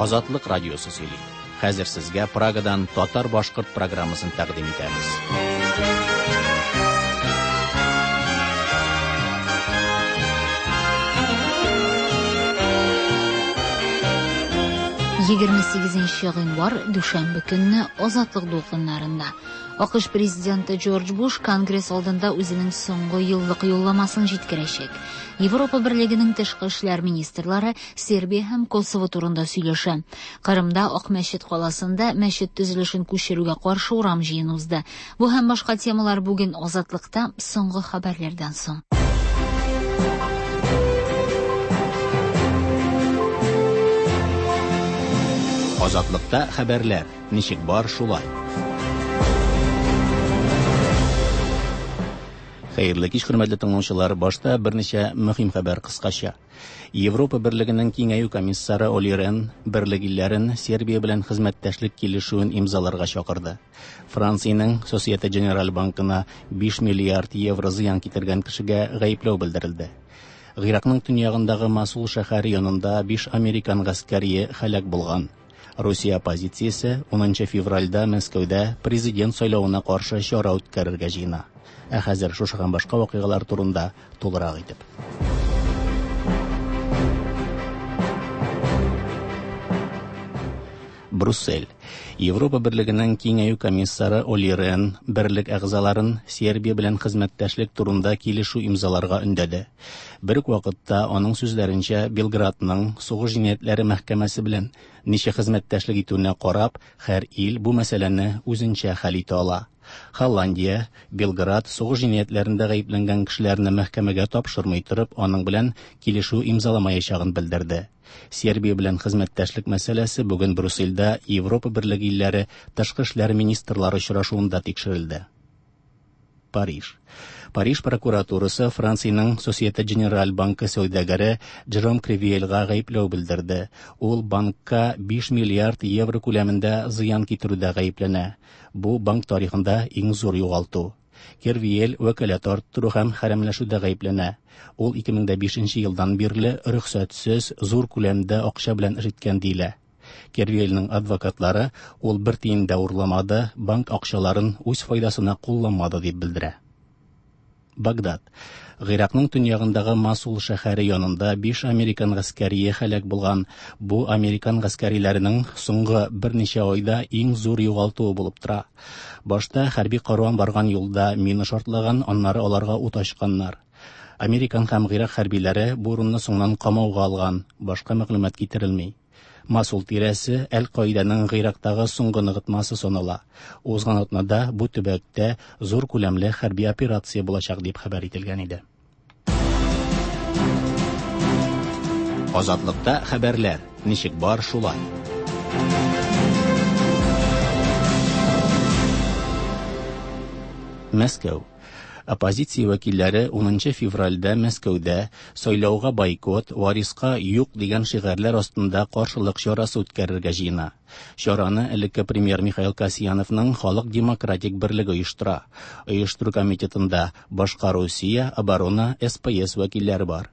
Азатлык радиосы сөйли. Хәзер сезгә Прагадан татар-башкорт программасын тәкъдим итәбез. 28 гыйнвар, дүшәмбе көнне Азатлык дулкыннарында. АКШ президенты Джордж Буш Конгресс алдында үзенең соңгы еллык юлламасын җиткерәчәк. Европа Берлегенең тышкы эшләр министрлары Сербия һәм Косово турында сөйләшә. Кырымда Акмәчет каласында мәчет төзелешен күчерүгә каршы урам җыены узды. Бу һәм башка темалар бүген Азатлыкта соңгы хәбәрләрдән соң. Азатлыкта хәбәрләр ничек бар шулай. Хәерле кич, хөрмәтле тыңлаучылар. Башта берничә мөһим хәбәр кыскача. Европа Берлегенең киңәю комиссары Оли Рен берлек илләрен Сербия белән хезмәттәшлек килешүен имзаларга чакырды. Франциянең Societe Generale банкына 5 миллиард евро зыян китергән кешегә гаепләү белдерелде. Гыйракның төньягындагы Масул шәһәре янында 5 американ гаскәрие һәлак булган. Русия оппозициясе 10 февральдә Мәскәүдә президент сайлавына каршы чара үткәрергә җыена. Ә хәзер шушы һәм башка вакыйгалар турында тулырак итеп. Брюссель. Европа Берлегенең киңәю комиссары Оли Рен берлек әгъзаларын Сербия белән хезмәттәшлек турында килешү имзаларга өндәде. Бер үк вакытта аның сүзләренчә Белградның сугыш җинаятьләре мәхкәмәсе белән ничек хезмәттәшлек итүенә карап, һәр ил бу мәсьәләне үзенчә хәл итә ала. Холландия, Белград сугыш җинаятьләрендә гаепләнгән кешеләрне мәхкәмәгә тапшырмый торып, аның белән килешү имзаламаячагын белдерде. Сербия белән хезмәттәшлек мәсьәләсе бүген Брюссельдә Европа Берлеге илләре тышкы эшләр министрлары очрашуында тикшерелде. Париж. Париж прокуратурасы Франциянең Societe Generale банкы сәүдәгәре Джером Кривиельга гаепләү белдерде. Ул банкка 5 миллиард евро күләмендә зыян китерүдә гаепләнә. Бу банк тарихында иң зур югалту. Кервиель вәкаләт арттыру һәм хәрәмләшүдә гаепләнә. Ул 2005 елдан бирле рөхсәтсез зур күләмдә акча белән эш иткән диелә. Кервиельнең адвокатлары ул бер тиен дә урламады, банк акчаларын үз файдасына кулланмады дип белдерә. Багдад. Гыйракның төньягындагы Масул шәһәре янында 5 американ гаскәрие һәлак булган. Бу американ гаскәриләренең соңгы берничә айда иң зур югалтуы булып тора. Башта хәрби каруан барган юлда мина шартлаган, аннары аларга ут ачканнар. Американ һәм Гыйрак хәрбиләре бу урынны соңыннан камауга алган. Башка мәгълүмат китерелми. Масул тирәсе Әл-Каиданың Гыйрактагы соңгы ныгытмасы санала. Узган атнада бу төбәктә зур күләмле хәрби операция булачак дип хәбәр ителгән иде. Азатлыкта хәбәрләр ничек бар шулай. Мәскәү. Оппозиция вәкилләре 10 февральдә Мәскәүдә сайлауга бойкот, вариска юк дигән шигарьләр астында каршылык чарасы үткәрергә җыена. Чараны элекке премьер Михаил Касьяновның Халык демократик берлеге оештыра. Оештыру комитетында башка Русия, Оборона, СПС вәкилләре бар.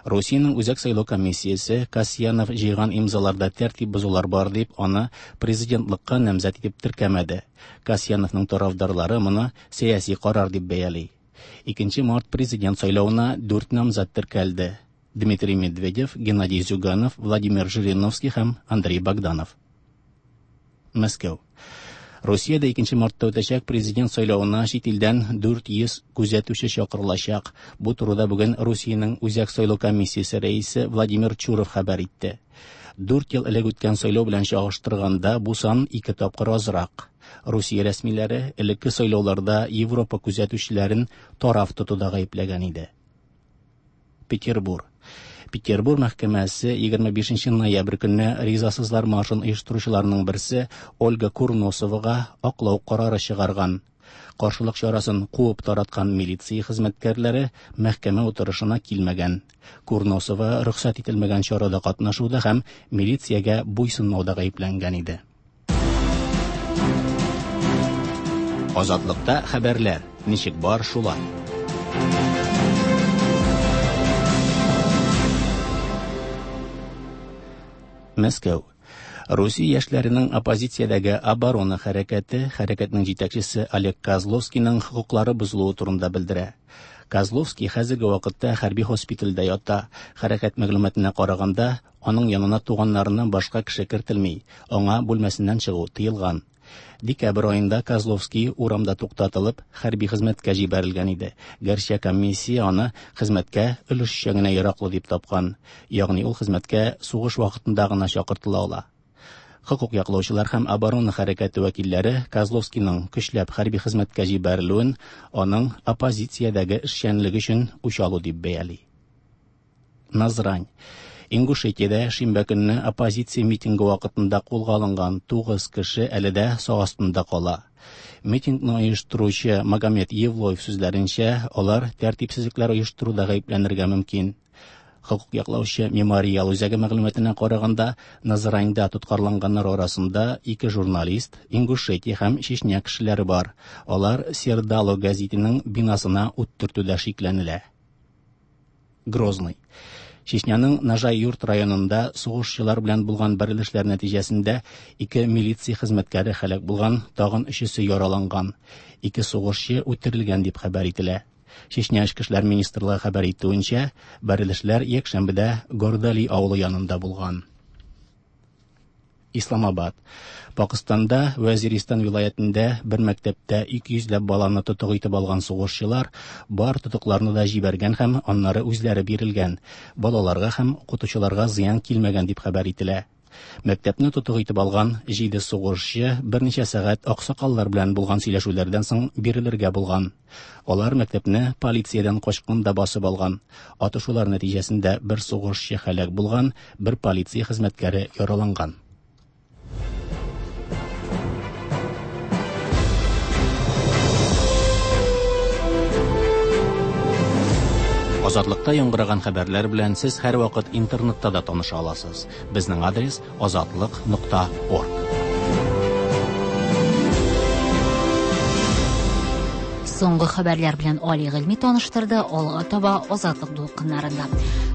Русиянең Үзәк сайлау комиссиясе Касьянов җыйган имзаларда тәртип бозулар бар дип, аны президентлыкка намзәт итеп теркәмәде. Касьяновның тарафдарлары моны сәяси карар дип бәяли. 2 март президент сайлавына 4 намзәт теркәлде. Дмитрий Медведев, Геннадий Зюганов, Владимир Жириновский һәм Андрей Богданов. Мәскәү. Русиядә 2 мартта үтәчәк президент сайлавына чит илдән 400 күзәтүче чакырылачак. Бу турыда бүген Русиянең Үзәк сайлау комиссиясе рәисе Владимир Чуров хәбәр итте. 4 ел элек үткән сайлау белән чагыштырганда бу сан 2 тапкыр азрак. Русия рәсмиләре элекке сайлауларда Европа күзәтүчеләрен тараф тотуда гаепләгән иде. Петербург. Петербург мәхкәмәсе 25 ноябрь көнне ризасызлар маршын оештыручыларның берсе Ольга Курносовага аклау карары чыгарган. Каршылык чарасын куып тараткан милиция хезмәткәрләре мәхкәмә утырышына килмәгән. Курносова рөхсәт ителмәгән чарада катнашуда һәм милициягә буйсынмауда гаепләнгән иде. Азатлыкта хәбәрләр ничек бар шулай. Мәскәү. Русия яшьләренең оппозициядәге Оборона хәрәкәте хәрәкәтнең җитәкчесе Олег Козловскийның хокуклары бозылуы турында белдерә. Козловский хәзерге вакытта хәрби һоспитальдә ята. Хәрәкәт мәгълүматына караганда, аның янына туганнарыннан башка кеше кертелми, аңа бүлмәсеннән чыгу тыелган. Декабрь аенда Козловский урамда туктатылып, хәрби хезмәткә җибәрелгән иде. Гәрчә комиссия аны хезмәткә өлешчә генә яраклы дип тапкан, ягъни ул хезмәткә сугыш вакытында гына чакыртыла ала. Хокук яклаучылар һәм оборона хәрәкәте вәкилләре Козловскийның көчләп хәрби хезмәткә җибәрелүен аның оппозициядәге эшчәнлеге өчен үч алу дип бәяли. Назрань. Ингушетиядә шимбә көнне оппозиция митингы вакытында кулга алынган 9 кеше әле дә сак астында кала. Митингны оештыручы Магомед Евлоев сүзләренчә, алар тәртипсезлекләр оештыруда гаепләнергә мөмкин. Хокук яклаучы Мемориал үзәге мәгълүматына караганда, Назраньда тоткарланганнар арасында ике журналист, Ингушетия һәм Чечня кешеләре бар. Алар Сердало гәзитенең бинасына ут төртүдә шикләнелә. Грозный. Чечняның Нажай-Юрт районында сугышчылар белән булган бәрелешләр нәтиҗәсендә ике милиция хезмәткәре һәлак булган, тагын өчесе яраланган. Ике сугышчы үтерелгән дип хәбәр ителә. Чечня Эчке эшләр министрлыгы хәбәр итүенчә, бәрелешләр якшәмбедә Гордали авылы янында булган. Исламабад. Пакыстанда Вәзиристан вилаятендә бер мәктәптә 200 ләп баланы тотык итеп алган сугышчылар бар тотыкларны да җибәргән һәм аннары үзләре бирелгән. Балаларга һәм укытучыларга зыян килмәгән дип хәбәр ителә. Мәктәпне тотык итеп алган җиде сугышчы берничә сәгать аксакаллар белән булган сөйләшүләрдән соң бирелергә булган. Алар мәктәпне полициядән качканда басып алган. Атышулар нәтиҗәсендә бер сугышчы һәлак булган, бер полиция хезмәткәре яраланган. Азатлыкта яңгыраган хәбәрләр белән сез һәрвакыт интернетта да таныша аласыз. Безнең адрес азатлык.орг. Соңгы хәбәрләр белән Али Гыйльми таныштырды, алга таба Азатлык дулкыннарында.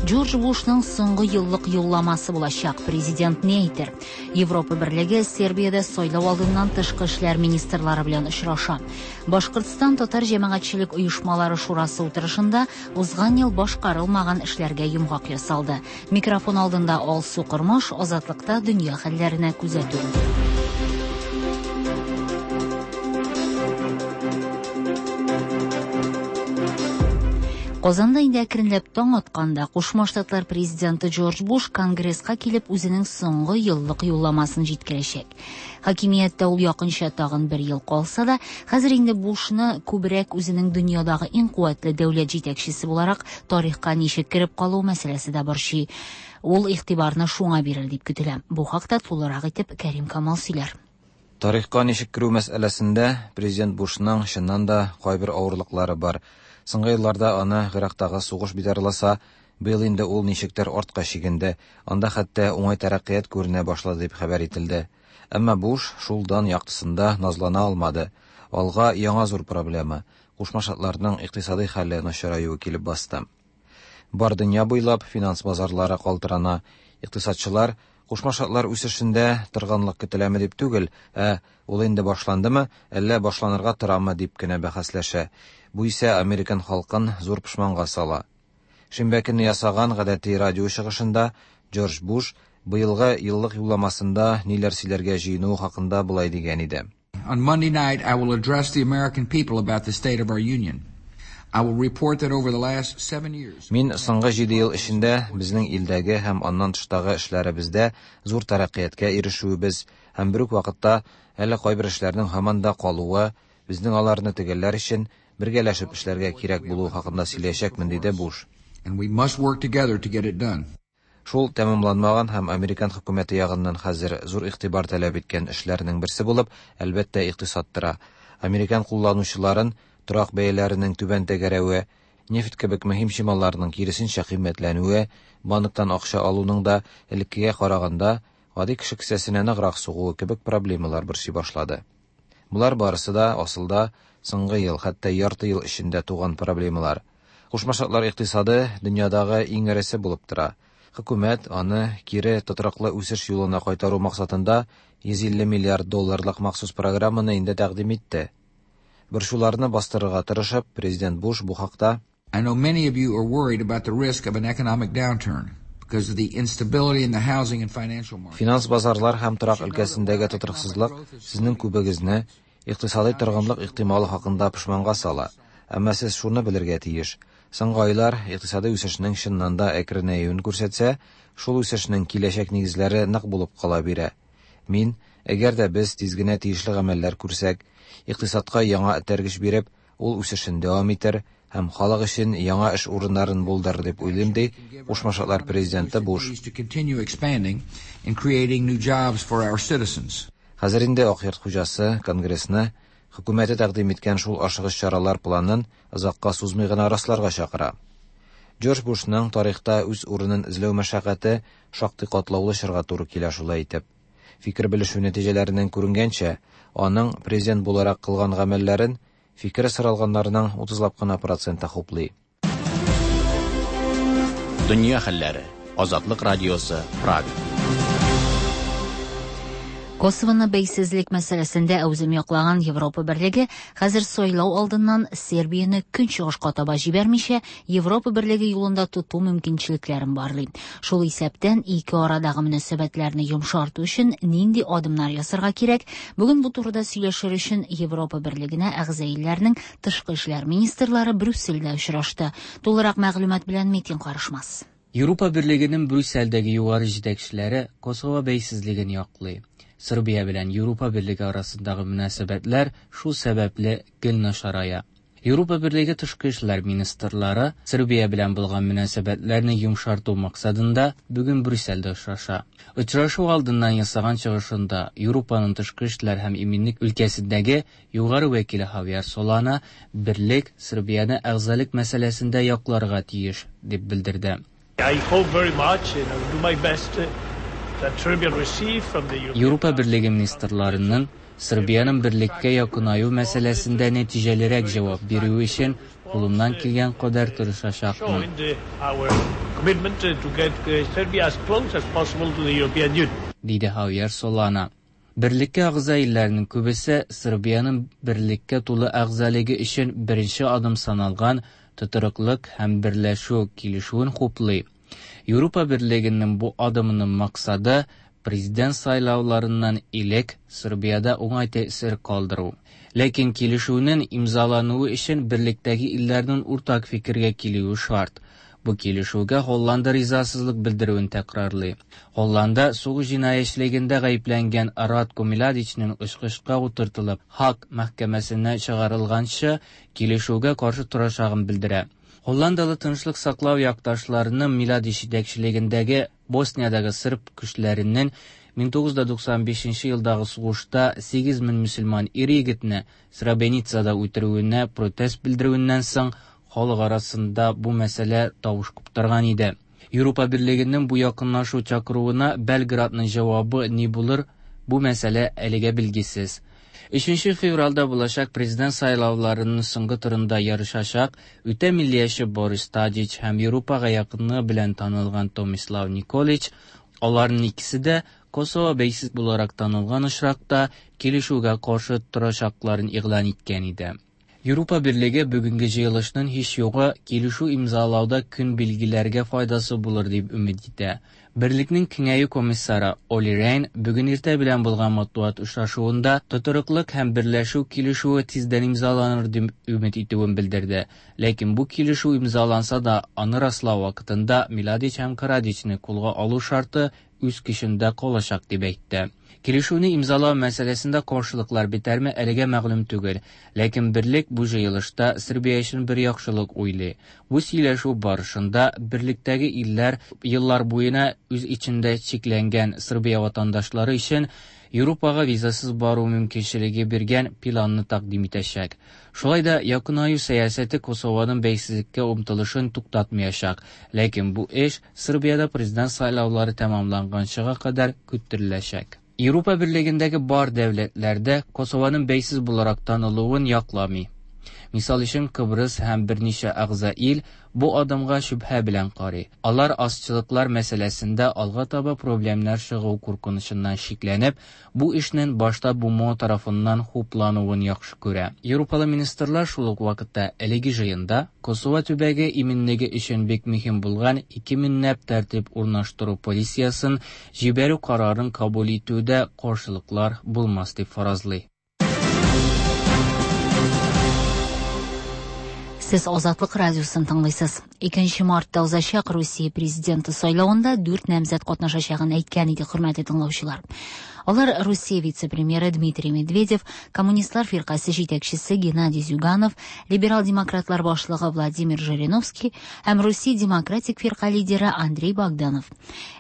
Джордж Бушның соңгы еллык юлламасы булачак. Президент ни әйтер? Европа Берлеге Сербиядә сайлау алдыннан тышкы эшләр министрлары белән очраша. Башкортстан татар җәмәгатьчелек оешмалары шурасы утырышында узган ел башкарылмаган эшләргә йомгак ясалды. Микрофон алдында Алсу Кормаш, Азатлыкта дөнья хәлләренә күзәтү. Казанда инде әкренләп таң атканда, Кушма Штатлар президенты Джордж Буш Конгресска килеп үзенең соңгы еллык юлламасын җиткерәчәк. Хакимияттә ул якынча тагын бер ел калса да, хәзер инде Бушны күбрәк үзенең дөньядагы иң куәтле дәүләт җитәкчесе буларак тарихка ничек кереп калу мәсьәләсе дә борчый. Ул игътибарны шуңа бирер дип көтелә. Бу хакта тулырак итеп Кәрим Камал сөйләр. Тарихка ничек керү мәсьәләсендә президент Бушның чыннан да кайбер авырлыклары бар. Соңгы елларда аны Гыйрактагы сугыш битарласа, быел инде ул ничектер артка чигенде. Анда хәтта уңай тәрәккыят күренә башлады дип хәбәр ителде. Әмма Буш шул дан яктысында назлана алмады. Алга яңа зур проблема Кушма Штатларның икътисадый хәле начараюы килеп басты. Бар дөнья буйлап финанс базарлары калтырана. Икътисадчылар Кушма Штатлар үсешендә торганлык көтеләме дип түгел, ә ул инде башландымы, әллә башланырга торамы дип кенә бәхәсләшә. Бу исә американ халкын зур пошманга сала. Шимбә көнне ясаган гадәти радио чыгышында Джордж Буш быелгы еллык юлламасында ниләр сөйләргә җыенуы хакында болай дигән иде. On Monday night, I will address the American people about the state of our union. I will report that over the last 7 years. Мин соңгы 7 ел эчендә безнең илдәге һәм аннан тыштагы эшләребездә зур тәрәккыятькә ирешүебез һәм бер үк вакытта әле кайбер эшләрнең һаман да калуы, безнең аларны төгәлләр өчен бергәләшеп эшләргә кирәк булуы хакында сөйләячәкмен, диде Буш. And we must work together to get it done. Шул тәмамланмаган һәм американ хөкүмәте ягыннан хәзер зур игътибар таләп иткән эшләрнең берсе булып, әлбәттә, икътисад тора. Американ кулланучыларын торак бәяләренең түбән тәгәрәве, нефть кебек мөһим чималларның киресенчә кыйммәтләнүе, банктан акча алуның да элеккегә караганда гади кеше кесәсенә ныграк сугуы кебек проблемалар борчый башлады. Болар барысы да асылда соңгы ел, хәтта ярты ел эчендә туган проблемалар. Кушма Штатлар икътисады дөньядагы иң эресе булып тора. Хөкүмәт аны кире тотрыклы үсеш юлына кайтару максатында 150 миллиард долларлык махсус программаны инде тәкъдим итте. Борчуларны бастырырга тырышып, президент Буш бу хакта: I know many of you are worried about the risk of an economic downturn because of the instability in the housing and financial markets. Финанс базарлар һәм торак өлкәсендәге тотрыксызлык сезнең күбегезне икътисадый торгынлык ихтималы хакында пошманга сала. Әмма сез шуны белергә тиеш: соңгы айлар икътисадый үсешнең чыннан да әкренәюен күрсәтсә, шул үсешнең киләчәк нигезләре нык булып кала бирә. Мин, әгәр дә без тиз генә тиешле гамәлләр күрсәк, икътисадка яңа этәргеч биреп, ул үсешен дәвам итәр һәм халык өчен яңа эш урыннарын булдырыр дип уйлыйм, ди Кушма Штатлар президенты Буш. To continue expanding and creating new jobs for our citizens. Хәзер инде Ак Йорт хуҗасы Конгрессны хөкүмәте тәкъдим иткән шул ашыгыч чаралар планын озакка сузмый гына расларга чакыра. Джордж Бушның тарихта үз урынын эзләү мәшәкате шактый катлаулы чорга туры килә шулай итеп. Фикер белешү нәтиҗәләреннән күренгәнчә, аның президент буларак кылган гамәлләрен фикере соралганнарның утызлап кына проценты хуплый. Дөнья хәлләре. Азатлык радиосы, Прага. Косовоны бәйсезлек мәсьәләсендә әүзем яклаган Европа Берлеге хәзер сайлау алдыннан Сербияне көнчыгышка таба җибәрмичә, Европа Берлеге юлында тоту мөмкинчелекләрен барлый. Шул исәптән ике арадагы мөнәсәбәтләрне йомшарту өчен нинди адымнар ясарга кирәк? Бүген бу турыда сөйләшер өчен Европа Берлегенә әгъза илләрнең тышкы эшләр министрлары Брюссельдә очрашты. Тулырак мәгълүмат белән Метин Карышмас. Европа Берлегенең Брюссельдәге югары җитәкчеләре Косово бәйсезлеген яклый. Сербия белән Европа Берлеге арасындагы мөнәсәбәтләр шул сәбәпле гел начарая. Европа Берлеге тышкы эшләр министрлары Сербия белән булган мөнәсәбәтләрне йомшарту максатында бүген Брюссельдә очраша. Очрашу алдыннан ясаган чыгышында Европаның тышкы эшләр һәм иминлек өлкәсендәге югары вәкиле Хавьер Солана берлек Сербияне әгъзалык мәсьәләсендә якларга тиеш дип белдерде. I hope very much and I will do my best that Serbia receive from the European Европа Берлеге министрларының Сербиянең берлеккә якынаю мәсьәләсендә нәтиҗәлерәк җавап бирүе өчен кулымнан килгән кадәр тырышачакмын. showing our commitment to get Serbia as close as possible to the European Union. Диде Хавьер Солана. Берлеккә әгъза илләрнең күбесе Сербиянең берлеккә тулы әгъзалыгы өчен беренче адым саналган тотрыклык һәм берләшү килешүен хуплый. Европа Берлегенең бу адымының максаты президент сайлауларыннан элек Сербиядә уңай тәэсир калдыру. Ләкин килешүнең имзалануы өчен берлектәге илләрнең уртак фикергә килүе шарт. Бу килешүгә Холланда ризасызлык белдерүен тәкрарлый. Холланда сугыш җинаятьчелегендә гаепләнгән Радко Миладичның очкычка утыртылып Һаг мәхкәмәсенә чыгарылганчы килешүгә каршы торачагын белдерә. Холландалы тынычлык саклау якташларының Миладич җитәкчелегендәге Босниядәге сырб көчләренең 1995 елдагы сугышта 8000 мөселман ир-егетне Сребреницада үтерүенә протест белдерүеннән соң халык арасында бу мәсьәлә тавыш куптарган иде. Европа Берлегенең бу якынлашу чакыруына Белградның җавабы ни булыр, бу мәсьәлә әлегә билгесез. 3 февральдә булачак президент сайлауларының соңгы турында ярышачак үтә миллияче Борис Тадич һәм Европага якынлыгы белән танылган Томислав Николич, аларның икесе дә Косово бәйсез буларак танылган очракта килешүгә каршы торачакларын игълан иткән иде. Европа Берлеге бүгенге җыелышның һич югы килешү имзалауда көн билгеләргә файдасы булыр дип өмет итә. Берлекнең киңәю комиссары Оли Рейн бүген иртә белән булган матбугат очрашуында тотрыклык һәм берләшү килешүе тиздән имзаланыр дип өмет итүен белдерде. Ләкин бу килешү имзаланса да, аны раслау вакытында Миладич һәм Карадичны кулга алу шарты үз көчендә калачак дип әйтте. Килешүне имзалау мәсьәләсендә каршылыклар бетәрме әлегә мәгълүм түгел, ләкин берлек бу җыелышта Сербия өчен бер яхшылык уйлый. Бу сөйләшү барышында берлектәге илләр еллар буена үз эчендә чикләнгән Сербия ватандашлары өчен Европага визасыз бару мөмкинчелеге биргән планны тәкъдим итәчәк. Шулай да якынаю сәясәте Косованың бәйсезлеккә омтылышын туктатмаячак, ләкин бу эш Сербиядә президент сайлаулары тәмамланганчыга кадәр көттереләчәк. Европа Берлегендәге бар дәүләтләрдә Косованың бәйсез буларак танылуын якламый. Мисал өчен, Кыбрыс һәм берничә әгъза ил бу адымга шөбһә белән карый. Алар азчылыклар мәсьәләсендә алга таба проблемнар чыгу куркынычыннан шикләнеп, бу эшнең башта БУМО тарафыннан хуплануын яхшы күрә. Европалы министрлар шул ук вакытта әлеге җыенда Косово төбәге иминлеге өчен бик мөһим булган ике меңләп тәртип урнаштыру полициясен җибәрү карарын кабул итүдә каршылыклар булмас дип фаразлый. Сез Азатлык радиосын тыңлыйсыз. 2 мартта узачак Русия президенты сайлавында 4 намзәт катнашачагын әйткән иде хөрмәтле тыңлаучылар. Алар Русия вице-премьеры Дмитрий Медведев, Коммунистлар фиркасе җитәкчесе Геннадий Зюганов, либерал-демократлар башлыгы Владимир Жириновский һәм Русия демократик фирка лидеры Андрей Богданов.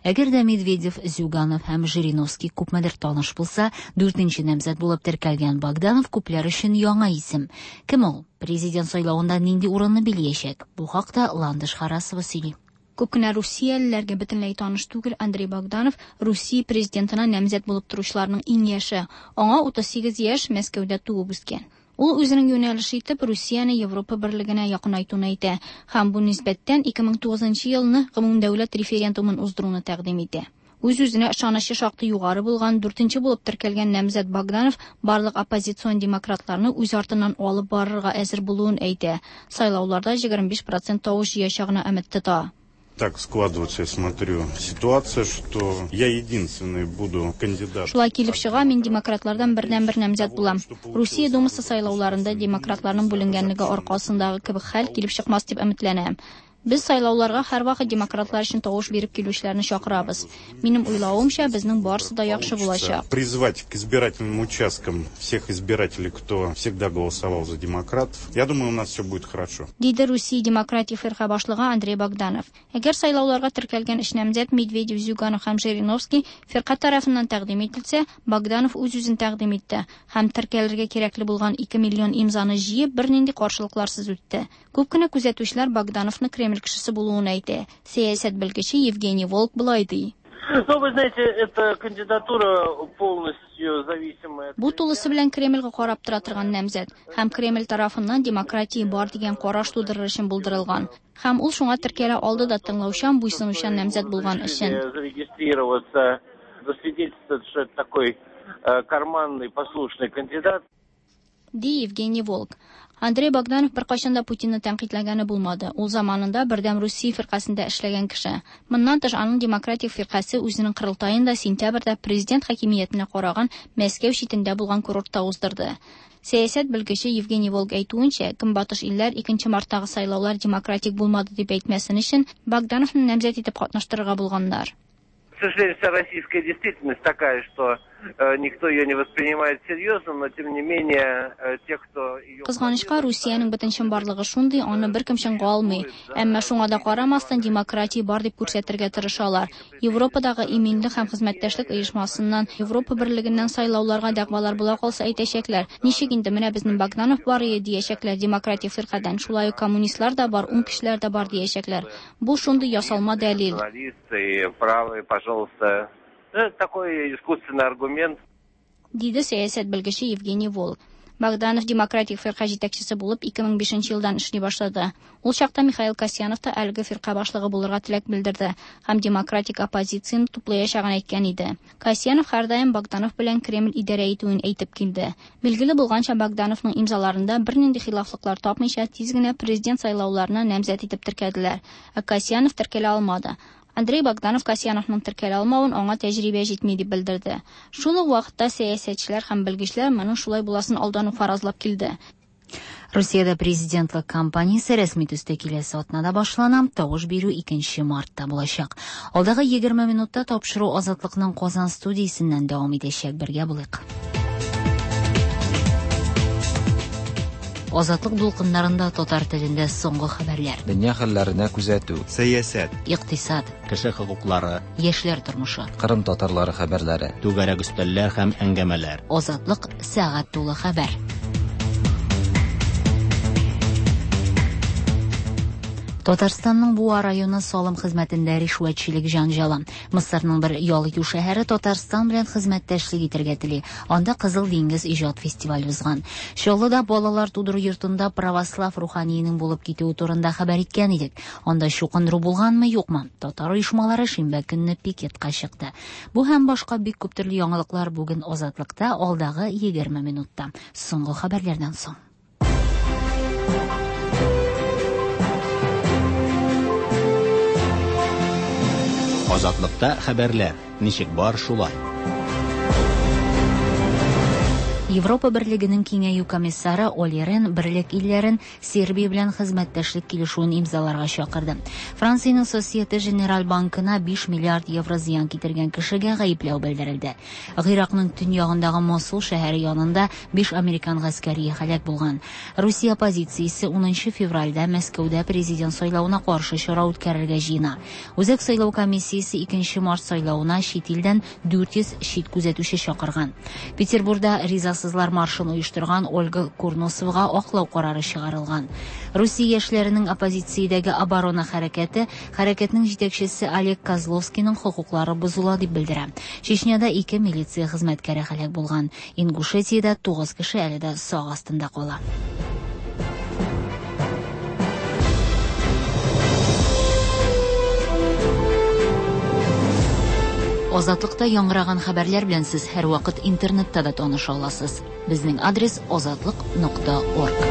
Әгәр дә Медведев, Зюганов һәм Жириновский күпмедер таныш булса, дүртенче намзәт булып теркәлгән Богданов күпләр өчен яңа исем. Кем ул? Президент сайлавында нинди урынны билиячәк? Бу хакта Ландыш Харасова сөйли. Күп кенә русиялеләргә бөтенләй таныш түгел Андрей Богданов Русия президентына намзәт булып торучыларның иң яше. Аңа 38 яшь, Мәскәүдә туып үскән. Ул үзенең юнәлеше итеп Русияне Европа берлегенә якынайтуны әйтә һәм бу нисбәттән 2009 елны гомумдәүләт референдумын уздыруны тәкъдим итә. Үз-үзенә ышанычы шактый югары булган дүртенче булып теркәлгән намзәт Богданов барлык оппозицион демократларны үз артыннан алып барырга әзер булуын әйтә. Сайлауларда 25% тавыш җыячагына өмет тота. Так складывается, я смотрю, ситуация, что я единственный буду кандидат. Шулай килеп чыга, мин демократлардан бердән-бер намзәт булам. Русия Думасы сайлауларында демократларның бүленгәнлеге аркасындагы кебек хәл килеп чыкмас дип өметләнәм. Без сайлауларга һәрвакыт демократлар өчен тавыш биреп килүчеләрне чакырабыз. Минем уйлавымча, безнең барысы да яхшы булачак. Призвать к избирательным участкам всех избирателей, кто всегда голосовал за демократов. Я думаю, у нас все будет хорошо. Диде Русия демократик фирка башлыгы Андрей Богданов. Әгәр сайлауларга теркәлгән өч намзәт Медведев, Зюганов һәм Жириновский фирка тарафыннан тәкъдим ителсә, Богданов үз-үзен тәкъдим итте һәм теркәлергә кирәкле булган 2 миллион имзаны җыеп, бернинди каршылыкларсыз үтте. Күп кенә күзәтүчеләр Богдановны Кремль кешесе булуын әйтә. Сәясәт белгече Евгений Волк болай ди. Ну, вы знаете, эта кандидатура полностью зависимая. Бу тулысы белән Кремльгә карап тора торган намзәт һәм Кремль тарафыннан демократия бар дигән караш тудырыр өчен булдырылган. Һәм ул шуңа теркәлә алды да тыңлаучан, буйсынучан намзәт булган өчен. Зарегистрироваться, засвидетельствовать, что это такой карманный, послушный кандидат. Ди Евгений Волк. Андрей Богданов беркайчан да Путинны тәнкыйтьләгәне булмады. Ул заманында Бердәм Русия фиркасендә эшләгән кеше. Моннан тыш, аның демократик фиркасе үзенең корылтаен да сентябрьдә президент хакимиятенә караган Мәскәү читендә булган курортта уздырды. Сәясәт белгече Евгений Волк әйтүенчә, Көнбатыш илләр 2 марттагы сайлаулар демократик булмады дип әйтмәсен өчен Богдановны намзәт итеп катнаштырырга булганнар. К сожалению, вся российская действительность такая, что никто ее не воспринимает серьезно, но тем не менее те, кто ее Кызганычка, Русиянең бөтен чынбарлыгы шундый, аны беркем чынга алмый. Әмма шуңа да карамастан демократия бар дип күрсәтергә тырышалар. Европадагы иминлек һәм хезмәттәшлек оешмасыннан, Европа берлегеннән сайлауларга дәгъвалар була калса әйтәчәкләр. Ничек инде менә безнең Богданов бар иде диячәкләр демократик фиркадән, шулай ук коммунистлар да бар, уң кешеләр дә бар диячәкләр. Бу шундый ясалма дәлил. Националисты, правые, пожалуйста. Это такой искусственный аргумент. Диде сәясәт белгече Евгений Волк. Богданов демократик фирка җитәкчесе булып 2005 елдан эшли башлады. Ул чакта Михаил Касьянов та әлеге фирка башлыгы булырга теләк белдерде һәм демократик оппозицияне туплаячагын әйткән иде. Касьянов һәрдаим Богданов белән Кремль идарә итүен әйтеп килде. Билгеле булганча, Богдановның имзаларында бернинди хилафлыклар тапмыйча тиз генә президент сайлауларына намзәт итеп теркәделәр. Ә Касьянов теркәлә алмады. Андрей Богданов Касьяновның теркәлә алмавын аңа тәҗрибә җитми дип белдерде. Шул ук вакытта сәясәтчеләр һәм белгечләр моның шулай буласын алдан ук фаразлап килде. Русиядә президентлык кампаниясе рәсми төстә киләсе атнада башлана, тавыш бирү 2 мартта булачак. Алдагы 20 минутта тапшыру Азатлыкның Казан студиясеннән дәвам итәчәк. Бергә булыйк. Азатлык дулкыннарында татар телендә соңгы хәбәрләр. Дөнья хәлләренә күзәтү. Сәясәт. Икътисад. Кеше хокуклары. Яшьләр тормышы. Кырым татарлары хәбәрләре. Түгәрәк өстәлләр һәм әңгәмәләр. Азатлык сәгать тулы хәбәр. Татарстанның Буа районы салым хезмәтендә ришвәтчелек җанҗалы. Мысырның бер ял итү шәһәре Татарстан белән хезмәттәшлек итәргә тели. Анда Кызыл диңгез иҗат фестивале узган. Чаллыда балалар тудыру йортында православ руханиенең булып китүе турында хәбәр иткән идек. Анда чукындыру булганмы, юкмы? Татар оешмалары шимбә көнне пикетка чыкты. Бу һәм башка бик күп төрле яңалыклар бүген Азатлыкта алдагы 20 минутта. Соңгы хәбәрләрдән соң. Азатлыкта хәбәрләр. Ничек бар шулай. Европа Берлегенең киңәю комиссары Оли Рен берлек илләрен Сербия белән хезмәттәшлек килешүен имзаларга чакырды. Франциянең Societe Generale банкына 5 миллиард евро зыян китергән кешегә гаепләү белдерелде. Гыйракның төньягындагы Мосул шәһәре янында 5 американ гаскәре һәлак булган. Русия оппозициясе 10 февральдә Мәскәүдә президент сайлавына каршы чара үткәрергә җыена. Үзәк сайлау комиссиясе 2 март сайлавына чит илдән 400 чит күзәтүче чакырган. Петербурда ризасызлар маршын оештырган Ольга Курносовага аклау карары чыгарылган. Русия яшьләренең оппозициядәге оборона хәрәкәте хәрәкәтнең җитәкчесе Олег Козловскийның хокуклары бозыла дип белдерә. Чечняда 2 милиция хезмәткәре һәлак булган. Ингушетиядә 9 кеше әле дә сак астында кала. Азатлыкта яңгыраган хәбәрләр белән сез һәрвакыт интернетта да таныша аласыз. Безнең адрес azatliq.org.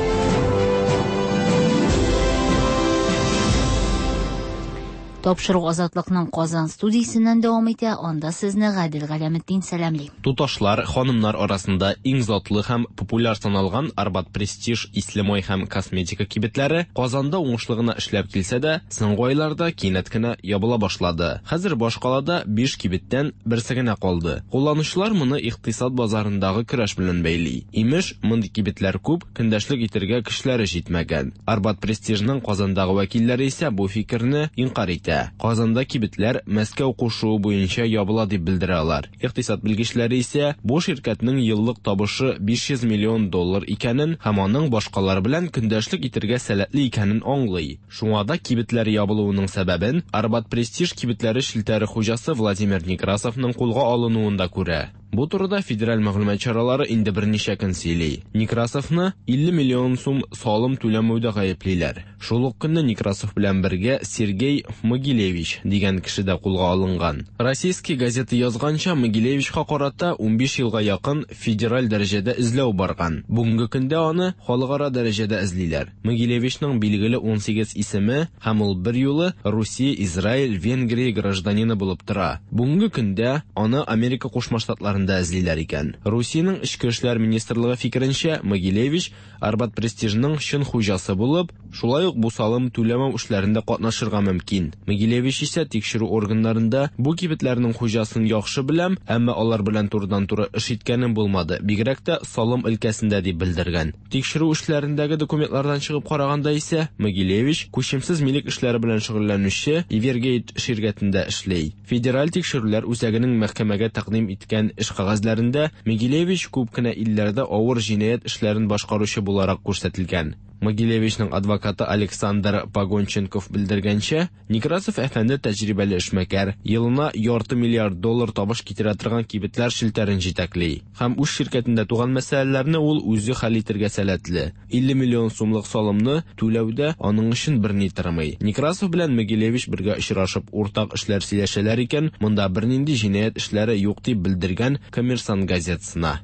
Тапшыру Азатлыкның Казан студиясеннән дәвам итә. Анда сезне Гадел Галәметдин сәламли. Туташлар, ханымнар арасында иң затлы һәм популяр саналган Арбат Престиж ислемай һәм косметика кибетләре Казанда уңышлы гына эшләп килсә дә, соңгы айларда кинәт кенә ябыла башлады. Хәзер башкалада 5 кибеттән берсе генә калды. Кулланучылар моны икътисад базарындагы көрәш белән бәйли. Имеш, мондый кибетләр күп, көндәшлек итәргә көчләре җитмәгән. Арбат Престижның Казандагы вәкилләре исә бу фикерне инкарь итә. Казанда кибетләр Мәскәү кушуы буенча ябыла дип белдерә алар. Икътисад белгечләре исә бу ширкәтнең еллык табышы 500 миллион доллар икәнен һәм аның башкалар белән көндәшлек итәргә сәләтле икәнен аңлый. Шуңа да кибетләр ябылуының сәбәбен Арбат Престиж кибетләре челтәре хуҗасы Владимир Некрасовның кулга алынуында күрә. Бу турыда федераль мәгълүмат чаралары инде берничә көн сөйли. Некрасовны 50 миллион сум салым түләмәүдә гаеплиләр. Шул ук көнне Некрасов белән бергә Сергей Могилевич дигән кеше дә кулга алынган. Российский газета язганча, Могилевичка карата 15 елга якын федераль дәрәҗәдә эзләү барган. Бүгенге көндә аны халыкара дәрәҗәдә эзлиләр. Могилевичның билгеле 18 исеме һәм ул бер юлы Русия, Израиль, Венгрия гражданины булып тора. Бүгенге көндә аны Америка Кушма Штатларында эзлиләр икән. Русиянең Эчке эшләр министрлыгы фикеренчә, Могилевич Арбат Престижның чын хуҗасы булып, шулай ук бу салым түләмәү эшләрендә катнашырга мөмкин. Могилевич исә тикшерү органнарында бу кибетләрнең хуҗасын яхшы беләм, әмма алар белән турыдан-туры эш иткәнем булмады, бигрәк тә салым өлкәсендә дип белдергән. Тикшерү эшләрендәге документлардан чыгып караганда исә, Могилевич күчемсез милек эшләре белән шөгыльләнүче Ивергейт ширкәтендә эшли. Федераль тикшерүләр үзәгенең мәхкәмәгә тәкъдим иткән эш кәгазьләрендә Могилевич күп кенә илләрдә авыр җинаять эшләрен башкаручы буларак күрсәтелгән. Могилевичның адвокаты Александр Погонченков белдергәнчә, Некрасов әфәнде тәҗрибәле эшмәкәр, елына ярты миллиард доллар табыш китерә торган кибетләр челтәрен җитәкли. Һәм үз ширкәтендә туган мәсьәләләрне ул үзе хәл итәргә сәләтле. 50 миллион сумлык салымны түләүдә аның өчен берни тормый. Некрасов белән Могилевич бергә очрашып уртак эшләр сөйләшәләр икән, монда бернинди җинаять эшләре юк дип белдергән Коммерсант газетасына.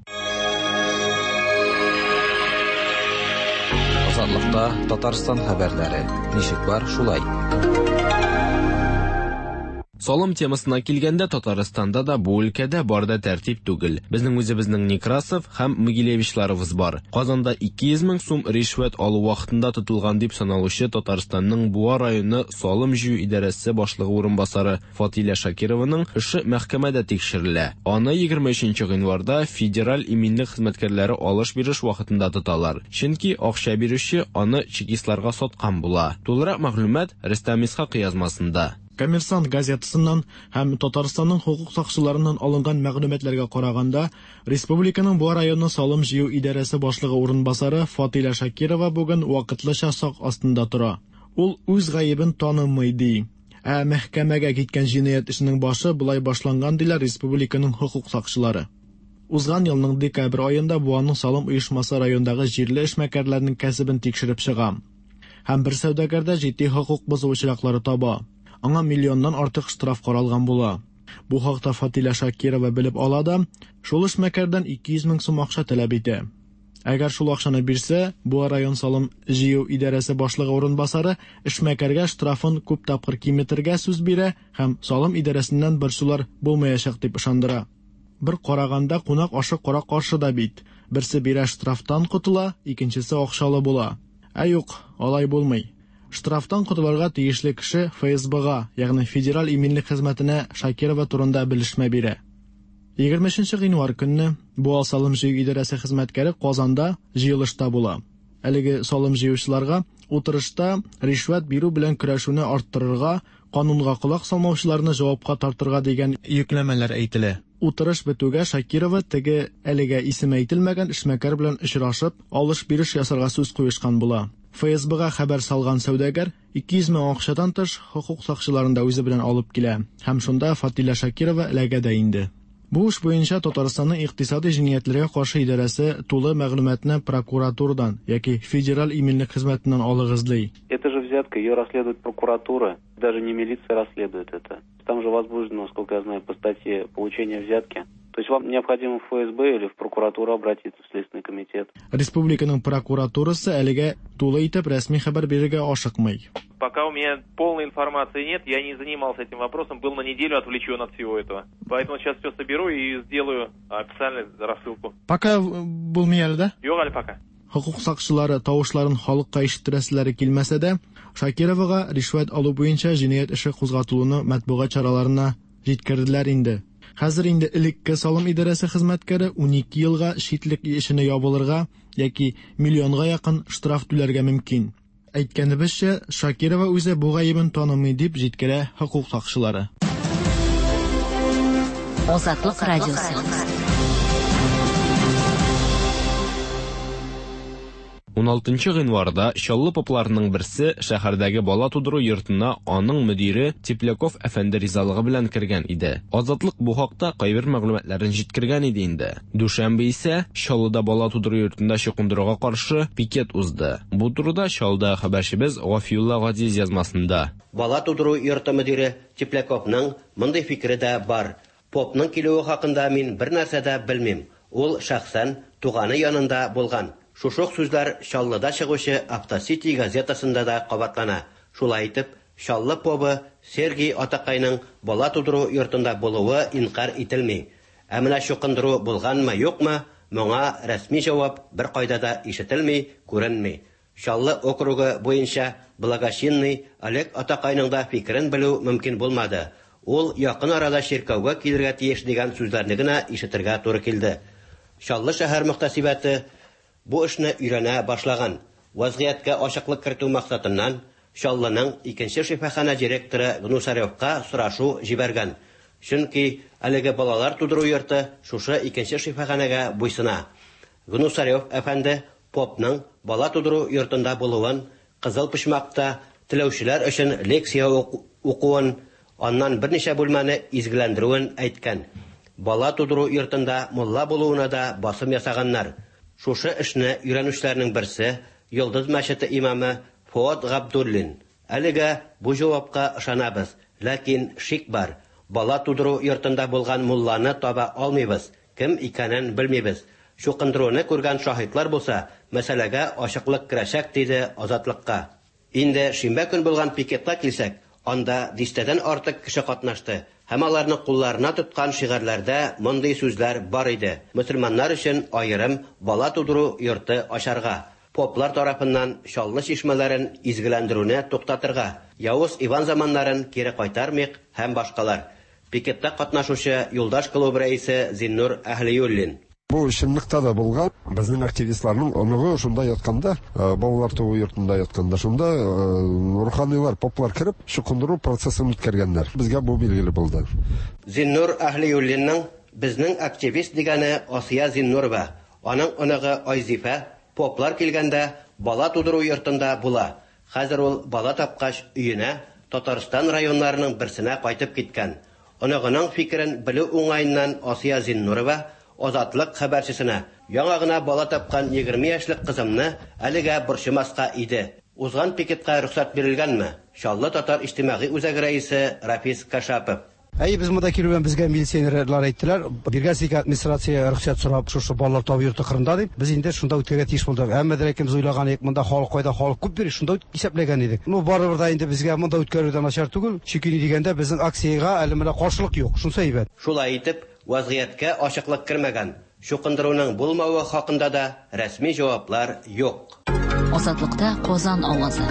Азатлыкта Татарстан хәбәрләре. Ничек бар, шулай. Салым темасына килгәндә, Татарстанда да бу өлкәдә бар да тәртип түгел. Безнең үзебезнең Некрасов һәм Могилевичларыбыз бар. Казанда 200 мең сум ришвәт алу вакытында тотылган дип саналучы Татарстанның Буа районы салым җыю идарәсе башлыгы урынбасары Фатилә Шакированың эше мәхкәмәдә тикшерелә. Аны 23 гыйнварда федераль иминлек хезмәткәрләре алыш-биреш вакытында тоталар. Чөнки акча бирүче аны чекистларга саткан була. Тулырак мәгълүмат Рөстәм Исхак язмасында. Коммерсант газетасыннан һәм Татарстанның хокук сакчыларыннан алынган мәгълүматларга караганда, республиканың Буа районы салым җыю идарәсе башлыгы урынбасары Фатилә Шакирова бүген вакытлыча сак астында тора. Ул үз гаебен танымый, ди. Ә мәхкәмәгә киткән җинаять эшенең башы болай башланган, диләр республиканың хокук сакчылары. Узган елның декабрь аенда Буаның салым оешмасы райондагы җирле эшмәкәрләрнең кәсебен тикшереп чыга. Һәм бер сәүдәгәрдә җитди хокук бозу очраклары таба. Аңа миллионнан артык штраф каралган була. Бу хакта Фатилә Шакирова белеп ала да, шул эшмәкәрдән 200 мең сум акча таләп итә. Әгәр шул акчаны бирсә, Буа район салым җыю идарәсе башлыгы урынбасары эшмәкәргә штрафын күп тапкыр киметергә сүз бирә һәм салым идарәсеннән борчулар булмаячак дип ышандыра. Бер караганда кунак ашы кара каршы да бит. Берсе бирә штрафтан котыла, икенчесе акчалы була. Ә юк, алай булмый. Штрафтан котылырга тиешле кеше ФСБга, ягъни Федераль иминлек хезмәтенә Шакирова турында белешмә бирә. 23 гыйнвар көнне Буа салым җыю идарәсе хезмәткәре Казанда җыелышта була. Әлеге салым җыючыларга утырышта ришвәт бирү белән көрәшүне арттырырга, канунга колак салмаучыларны җавапка тартырга дигән йөкләмәләр әйтелә. Утырыш бетүгә Шакирова теге әлегә исеме әйтелмәгән эшмәкәр белән очрашып, алыш-биреш ясарга сүз куешкан була. ФСБга хәбәр салган сәүдәгәр 200 мең акчадан тыш хокук сакчыларын да үзе белән алып килә һәм шунда Фатилә Шакирова эләгә дә инде. Бу эш буенча Татарстанның икътисади җинаятьләргә каршы идарәсе тулы мәгълүматны прокуратурадан яки Федераль иминлек хезмәтеннән алыгыз ди. Это же взятка, ее расследует прокуратура, даже не милиция расследует это. Там же возбуждено, насколько я знаю, по статье получение взятки. То есть вам необходимо в ФСБ или в прокуратуру обратиться, в Следственный комитет. Республиканың прокуратурасы әлегә тулы итеп рәсми хәбәр бирергә ашыкмый. Пока у меня полной информации нет, я не занимался этим вопросом, был на неделю отвлечен от всего этого. Поэтому сейчас все соберу и сделаю официальную рассылку. Пока булмый әле дә? Юк әле пока. Хокук сакчылары тавышларын халыкка ишеттерәселәре килмәсә дә, Шакировага ришвәт алу буенча җинаять эше кузгатылуны матбугат чараларына җиткерделәр инде. Хәзер инде элекке салым идарәсе хезмәткәре 12 елга читлек эшенә ябылырга яки миллионга якын штраф түләргә мөмкин. Әйткәнебезчә, Шакирова үзе бу гаебен танымый дип җиткерә хокук сакчылары. Азатлык радиосы. 16 гыйнварда Чаллы попларының берсе шәһәрдәге бала тудыру йортына аның мөдире Тепляков әфәнде ризалыгы белән кергән иде. Азатлык бу хакта кайбер мәгълүматларын җиткергән иде инде. Дүшәмбе исә Чаллыда бала тудыру йортында чукындыруга каршы пикет узды. Бу турыда Чаллыда хәбәрчебез Гафиулла Газиз язмасында. Бала тудыру йорты мөдире Тепляковның мондый фикере дә бар. Попның килүе хакында мин бернәрсә дә белмим. Ул шәхсән туганы янында булган. Шушы ук сүзләр Чаллыда чыгучы Автосити газетасында да кабатлана. Шулай итеп, Чаллы побы Сергий атакайның бала тудыру йортында булуы инкарь ителми. Ә менә чукындыру булганмы, юкмы, моңа рәсми җавап беркайда да ишетелми, күренми. Чаллы округы буенча благочинный Олег атакайның да фикерен белү мөмкин булмады. Ул якын арада чиркәүгә килергә тиеш дигән сүзләрне генә ишетергә туры килде. Чаллы шәһәр мөхтәсибәте бу эшне өйрәнә башлаган. Вазгыятькә ачыклык кертү максатыннан Чаллының икенче шифаханә директоры Гнусаревка сорашу җибәргән. Чөнки әлеге балалар тудыру йорты шушы икенче шифаханәгә буйсына. Гнусарев әфәнде попның бала тудыру йортында булуын, кызыл почмакта теләүчеләр өчен лекция укуын, аннан берничә бүлмәне изгеләндерүен әйткән. Бала тудыру йортында мулла булуына да басым ясаганнар. Шушы эшне өйрәнүчеләрнең берсе Йолдыз мәчете имамы Фоат Габдуллин. Әлегә бу җавапка ышанабыз, ләкин шик бар. Бала тудыру йортында булган мулланы таба алмыйбыз, кем икәнен белмибез. Чукындыруны күргән шаһитлар булса, мәсьәләгә ачыклык керәчәк, диде Азатлыкка. Инде шимбә көн булган пикетка килсәк, анда дистәдән артык кеше катнашты һәм аларның кулларына тоткан шигарьләрдә мондый сүзләр бар иде: Мөселманнар өчен аерым бала тудыру йорты ачарга, поплар тарафыннан Чаллы чишмәләрен изгеләндерүне туктатырга, Явыз Иван заманнарын кире кайтармыйк һәм башкалар. Пикетта катнашучы Юлдаш клубы рәисе Зиннур Әһлиуллин. Бу чынлыкта да булган. Безнең активистларның оныгы шунда ятканда, балалар туу йортында ятканда, шунда руханилар, поплар кереп, чукындыру процессын үткәргәннәр. Безгә бу билгеле булды. Зиннур Әһлиуллинның безнең активист дигәне Асия Зиннурова. Аның оныгы Айзифә поплар килгәндә бала тудыру йортында була. Хәзер ул бала тапкач, өенә, Татарстан районнарының берсенә кайтып киткән. Оныгының фикерен белү уңаеннан Асия Зиннурова Азатлык хәбәрчесенә, Яңа гына бала тапкан 20 яшьлек кызымны әлегә борчымаска иде. Узган пикетка рөхсәт бирелгәнме? Чаллы татар иҗтимагый үзәге рәисе Рафис Кашапов. Әйе, без монда килү белән безгә милиционерлар әйттеләр, биргәнсез икән администрация рөхсәт сорап шушы балалар табу йорты кырында дип, без инде шунда үткәрергә тиеш булдык. Әмма дә ләкин без уйлаган идек, монда халык кайда халык күп йөри, шунда исәпләгән идек. Ну, барыбер да инде безгә монда үткәрү дә начар түгел, чөнки ни дигәндә, безнең акциягә әле менә каршылык юк, шунысы әйбәт. Шулай итеп, вазгыятькә ачыклык кермәгән. Чукындыруның булмавы хакында да рәсми җаваплар юк. Азатлыкта Казан авазы.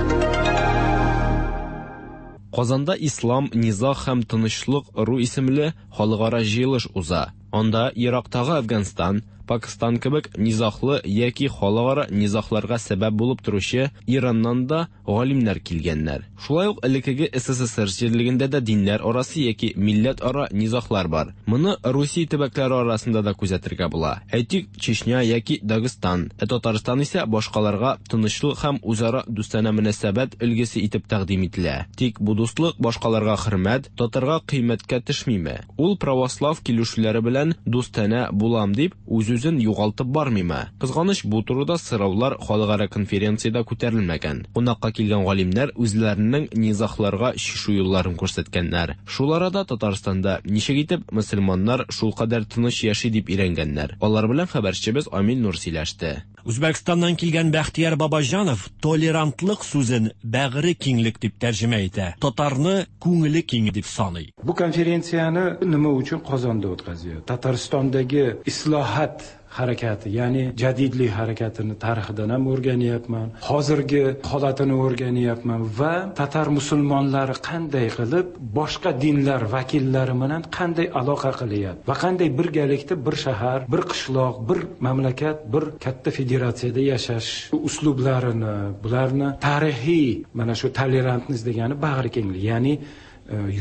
Казанда Ислам, низаг һәм тынычлык ыру исемле халыкара җыелыш уза. Анда ерактагы Әфганстан, Пакстан кебек низаглы яки халыкара низагларга сәбәп булып торучы Ираннан да галимнәр килгәннәр. Шулай ук элеккеге СССР җирлегендә дә диннәр арасы яки милләтара низаглар бар. Моны Русия төбәкләре арасында да күзәтергә була. Әйтик, Чечня яки Дагыстан. Ә Татарстан исә башкаларга тынычлык һәм үзара дустанә мөнәсәбәт өлгесе итеп тәкъдим ителә. Тик бу дуслык башкаларга хөрмәт, татарга кыйммәткә төшмиме? Ул православ килешүләре белән дустанә булам дип, үз-үзен югалтып бармыймы? Кызганыч, бу турыда сораулар халыкара конференциядә күтәрелмәгән. Кунакка килгән галимнәр үзләренең низагларга чишү юлларын күрсәткәннәр. Шул арада Татарстанда ничек итеп мөселманнар шулкадәр тыныч яши дип өйрәнгәннәр. Алар белән хәбәрчебез Амил Нур сөйләште. Үзбәкстаннан килгән Бәхтияр Бабаҗанов толерантлык сүзен бәгыре киңлек дип тәрҗемә итә, татарны күңеле киң дип саный. Бу konferensiyani nima uchun Qozonda o'tkazyapti? Tataristondagi islohot harakati, ya'ni jadidlik harakatini tarixidan ham o'rganyapman, hozirgi holatini o'rganyapman va tatar musulmonlari qanday qilib boshqa dinlar vakillari bilan qanday aloqa qilyapti va qanday birgalikda bir shahar, bir qishloq, bir mamlakat, bir katta federatsiyada yashash uslublarini, bularni tarixiy mana shu tolerantность degani bag'ri kenglik, ya'ni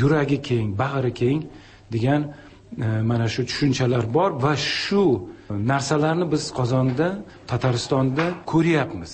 yuragi keng, bag'ri keng degan mana shu tushunchalar bor va shu narsalarni biz Qozonda, Tataristonda ko'ryapmiz.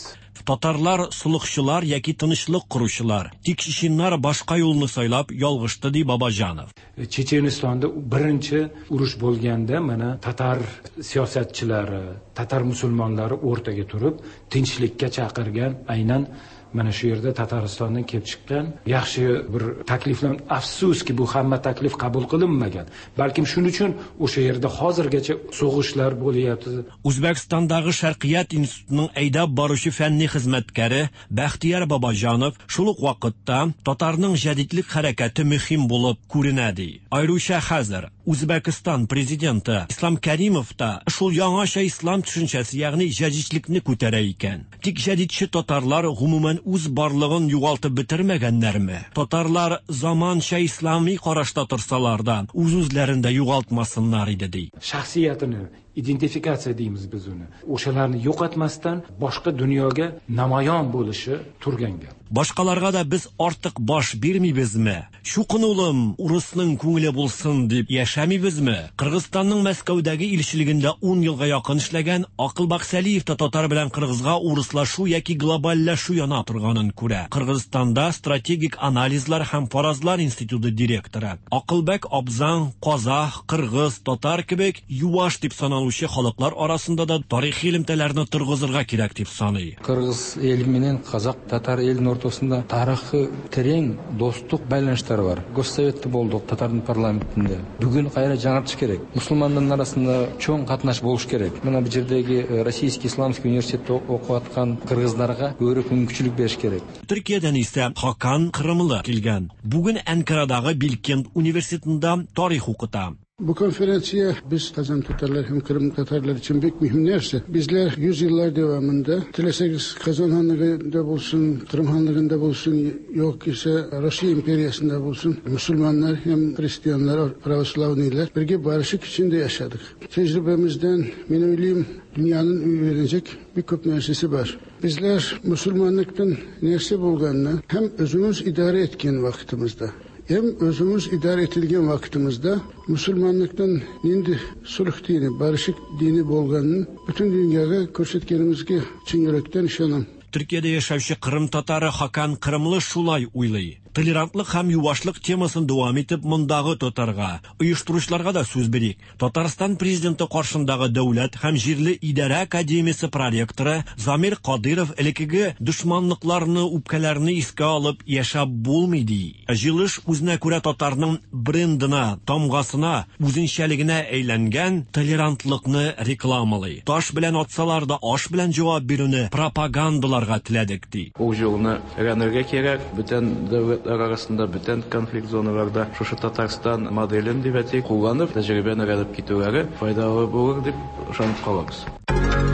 Татарлар солыхчылар яки тынычлык коручылар. Тик чеченнар башка юлны сайлап ялгышты, ди Бабаҗанов. Chechenistonda birinchi urush bo'lganda mana tatar siyosatchilari, tatar musulmonlari o'rtaga turib tinchlikka chaqirgan, aynan mana shu yerda Tataristondan kelib chiqqan yaxshi bir takliflar. Afsuski, bu hamma taklif qabul qilinmagan. Balkim shuning uchun o'sha yerda hozirgacha so'g'ishlar bo'lyapti. Үзбәкстандагы Шәркыят институтының әйдәп баручы фәнни хезмәткәре Бәхтияр Бабаҗанов шул ук вакытта татарның җәдидлек хәрәкәте мөһим булып күренә ди. Аеруча хәзер Үзбәкстан президенты Ислам Кәримов та шул яңача ислам төшенчәсе, ягъни җәдидлекне күтәрә икән. Тик җәдидче татарлар гомумән үз барлыгын югалтып бетермәгәннәрме? Татарлар заманча ислами карашта торсалар да, үз-үзләрен дә югалтмасыннар иде ди. Shaxsiyatini identifikatsiya deymiz biz uni. O'shalarni yo'qotmasdan boshqa dunyoga namoyon bo'lishi turgan gap. Башкаларга да без артык баш бирмибезме? Чукын улым, урысның күңеле булсын дип яшәмибезме? Кыргызстанның Мәскәүдәге илчелегендә 10 елга якын эшләгән Акылбак Сәлиев та татар белән кыргызга урыслашу яки глобальләшү яна торганын күрә. Кыргызстанда стратегик анализлар һәм фаразлар институты директоры Акылбек абзаң казах, кыргыз, татар кебек юаш дип саналучы халыклар арасында да тарихи элемтәләрне торгызырга кирәк дип саный. Кыргыз эли менен казак, татар элинин ортосунда тарыхы терең достук байланыштар бар. Госсоветте болдук, татардын парламентинде. Бүгүн кайра жаңыртыш керек. Мусулмандардын арасында чоң катнаш болуш керек. Мына бул жердеги Российский исламский университетте окуп аткан кыргыздарга көбүрөөк мүмкүнчүлүк бериш керек. Төркиядән исә Хакан Кырымлы килгән. Бүген Әнкарадагы Билкент университетында тарих укыта. Bu konferansiya biz Kazan Tatarlar hem Kırım Tatarlar için pek mühim nerse. Bizler yüzyıllar devamında dileseniz Kazan Hanlığı'nda bulsun, Kırım Hanlığı'nda bulsun, yok ise Rusya İmperiyası'nda bulsun, Müslümanlar hem Hristiyanlar, Pravoslavniler birge barışık içinde yaşadık. Tecrübemizden men öyleyim dünyanın öğrenecek bir köp nersesi var. Bizler Müslümanlıktan nerse bulganını hem özümüz idare etken vakitimizde, hem özümüz idare etilgen vakitimizde Müslümanlıktan nindi sulh dini, barışık dini bolganını bütün dünyaya көрсеткенімізге чын yürekten işanam. Төркиядә яшәүче Кырым татары Хакан Кырымлы шулай уйлый. Толерантлык һәм юашлык темасын дәвам итеп, мондагы татарга, оештыручыларга да сүз бирик. Татарстан Президенты каршындагы Дәүләт һәм җирле идарә академиясе проректоры Замир Кадыйров элеккеге дошманлыкларны, үпкәләрне искә алып яшәп булмый, ди. Җыелыш үзенә күрә татарның брендына, тамгасына, үзенчәлегенә әйләнгән толерантлыкны рекламалый. Таш белән атсалар да, аш белән җавап бирүне пропагандаларга теләдек, ди. Ул җылны өйрәнергә кирәк. Бүтән дәүләтләр арасында, бүтән конфликт зоналарда шушы Татарстан моделен дип әйтик, кулланып, тәҗрибәне өйрәнеп китүләре файдалы булыр дип ышанып калабыз.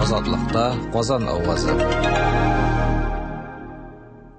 Азатлыкта Казан авазы.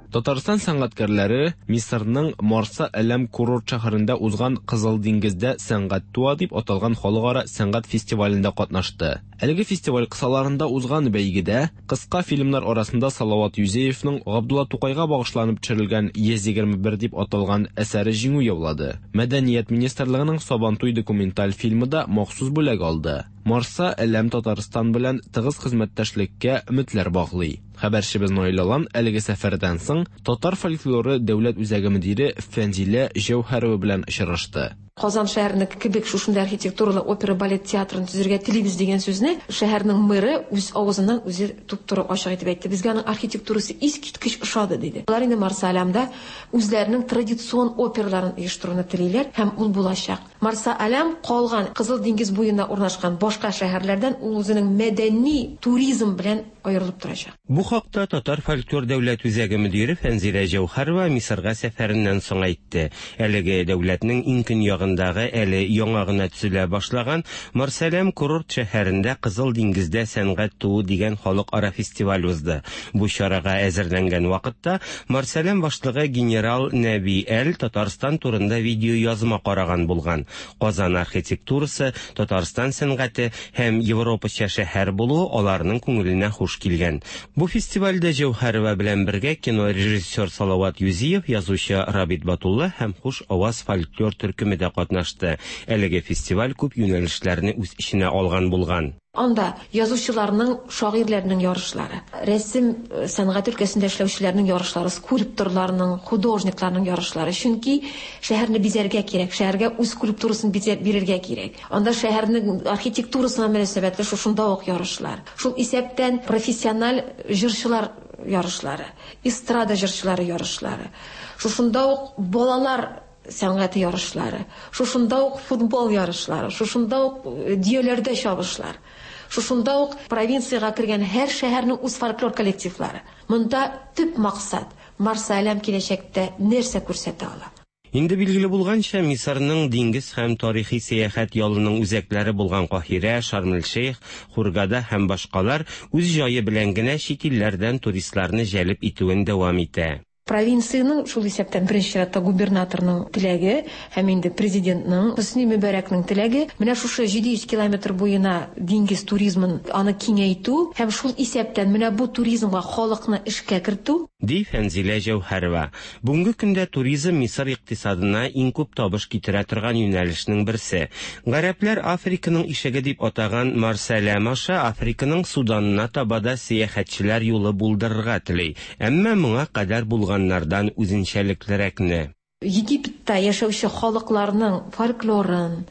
Татарстан сәнгатькәрләре Мисырның Марса Әләм курорт шәһәрендә узган Кызыл диңгездә сәнгать туа дип аталган халыкара сәнгать фестивалендә катнашты. Әлеге фестиваль кысаларында узган бәйгедә кыска фильмнар арасында Салават Юзеевның Габдулла Тукайга багышланып төшерелгән 121 дип аталган әсәре җиңү яулады. Мәдәният министрлыгының Сабантуй документаль фильмы да махсус бүләк алды. Марса Әләм Татарстан белән тыгыз хезмәттәшлеккә өметләр баглый. Хәбәрчебез Наил Алан әлеге сәфәрдән соң Татар фольклоры дәүләт үзәге мөдире Фәнзилә Җәүһәрова белән очрашты. Казан шәһәренеке кебек шушындый архитектуралы опера-балет театрын төзергә телибез дигән сүзне шәһәрнең мэры үз авызыннан үзе туп-туры ачык итеп әйтте. Безгә аның архитектурасы искиткеч ошады, диде. Алар инде Марса-Алямда үзләренең традицион операларын оештыруны телиләр һәм ул булачак. Марса-Алям калган Кызыл диңгез буена урнашкан башка шәһәрләрдән ул үзенең мәдәни туризм белән аерылып торачак. Бу хакта Татар фольклор дәүләт үзәге мөдире Фәнзилә Җәүһәрова Мисырга сәфәреннән соң әйтте. Әлеге дәүләтнең иң көньягындагы әле яңа гына төзелә башлаган Марсаләм курорт шәһәрендә Кызыл диңгездә сәнгать туу дигән халыкара фестиваль узды. Бу чарага әзерләнгән вакытта Марсаләм башлыгы генерал Нәби Әл Татарстан турында видеоязма караган булган. Казан архитектурасы, Татарстан сәнгате һәм европача шәһәр булуы аларның күңеленә хуш килгән. Бу фестивальдә Җәүһәрова белән бергә кино режиссер Салават Юзиев, язучы Рабит Батулла һәм Хуш аваз фольклор төркеме дә катнашты. Әлеге фестиваль күп юнәлешләрне үз эченә алган булган. Анда язучыларның, шагыйрьләрнең ярышлары, рәсем сәнгате өлкәсендә эшләүчеләрнең ярышлары, скульпторларның, художникларның ярышлары. Чөнки шәһәрне бизәргә кирәк, шәһәргә үз скульптурасын бизәп бирергә кирәк. Анда шәһәрнең архитектурасына мөнәсәбәтле шушында ук ярышлар. Шул исәптән профессиональ җырчылар ярышлары, эстрада җырчылары ярышлары. Шушында ук балалар сәнгате ярышлары, шушында ук футбол ярышлары, шушында ук дөяләрдә чабышлар. Шушында ук провинциягә кергән һәр шәһәрнең үз фольклор коллективлары. Монда төп максат Марса-Әләм киләчәктә нәрсә күрсәтә ала. Инде билгеле булганча, Мисырның диңгез һәм тарихи сәяхәт ялының үзәкләре булган Каһирә, Шарм-эль-Шейх, Хургада һәм башкалар үз җае белән генә чит илләрдән туристларны җәлеп итүен дәвам итә. Провинциянең, шул исәптән беренче чиратта губернаторның теләге һәм инде президентның, Хөсни Мөбарәкнең теләге, менә шушы 700 километр буена диңгез туризмын аны киңәйтү һәм шул исәптән менә бу туризмга халыкны эшкә кертү. Ди Фәнзилә Җәүһәрова. Бүгенге көндә туризм Мисыр икътисадына иң күп табыш китерә торган юнәлешнең берсе. Гарәпләр Африканың ишеге дип атаган Марсаләм аша Африканың Суданына таба да сәяхәтчеләр юлы булдырырга тели. Әмма моңа кадәр булганнардан үзенчәлеклерәкне. Египетта яшәүче халыкларның фольклорын,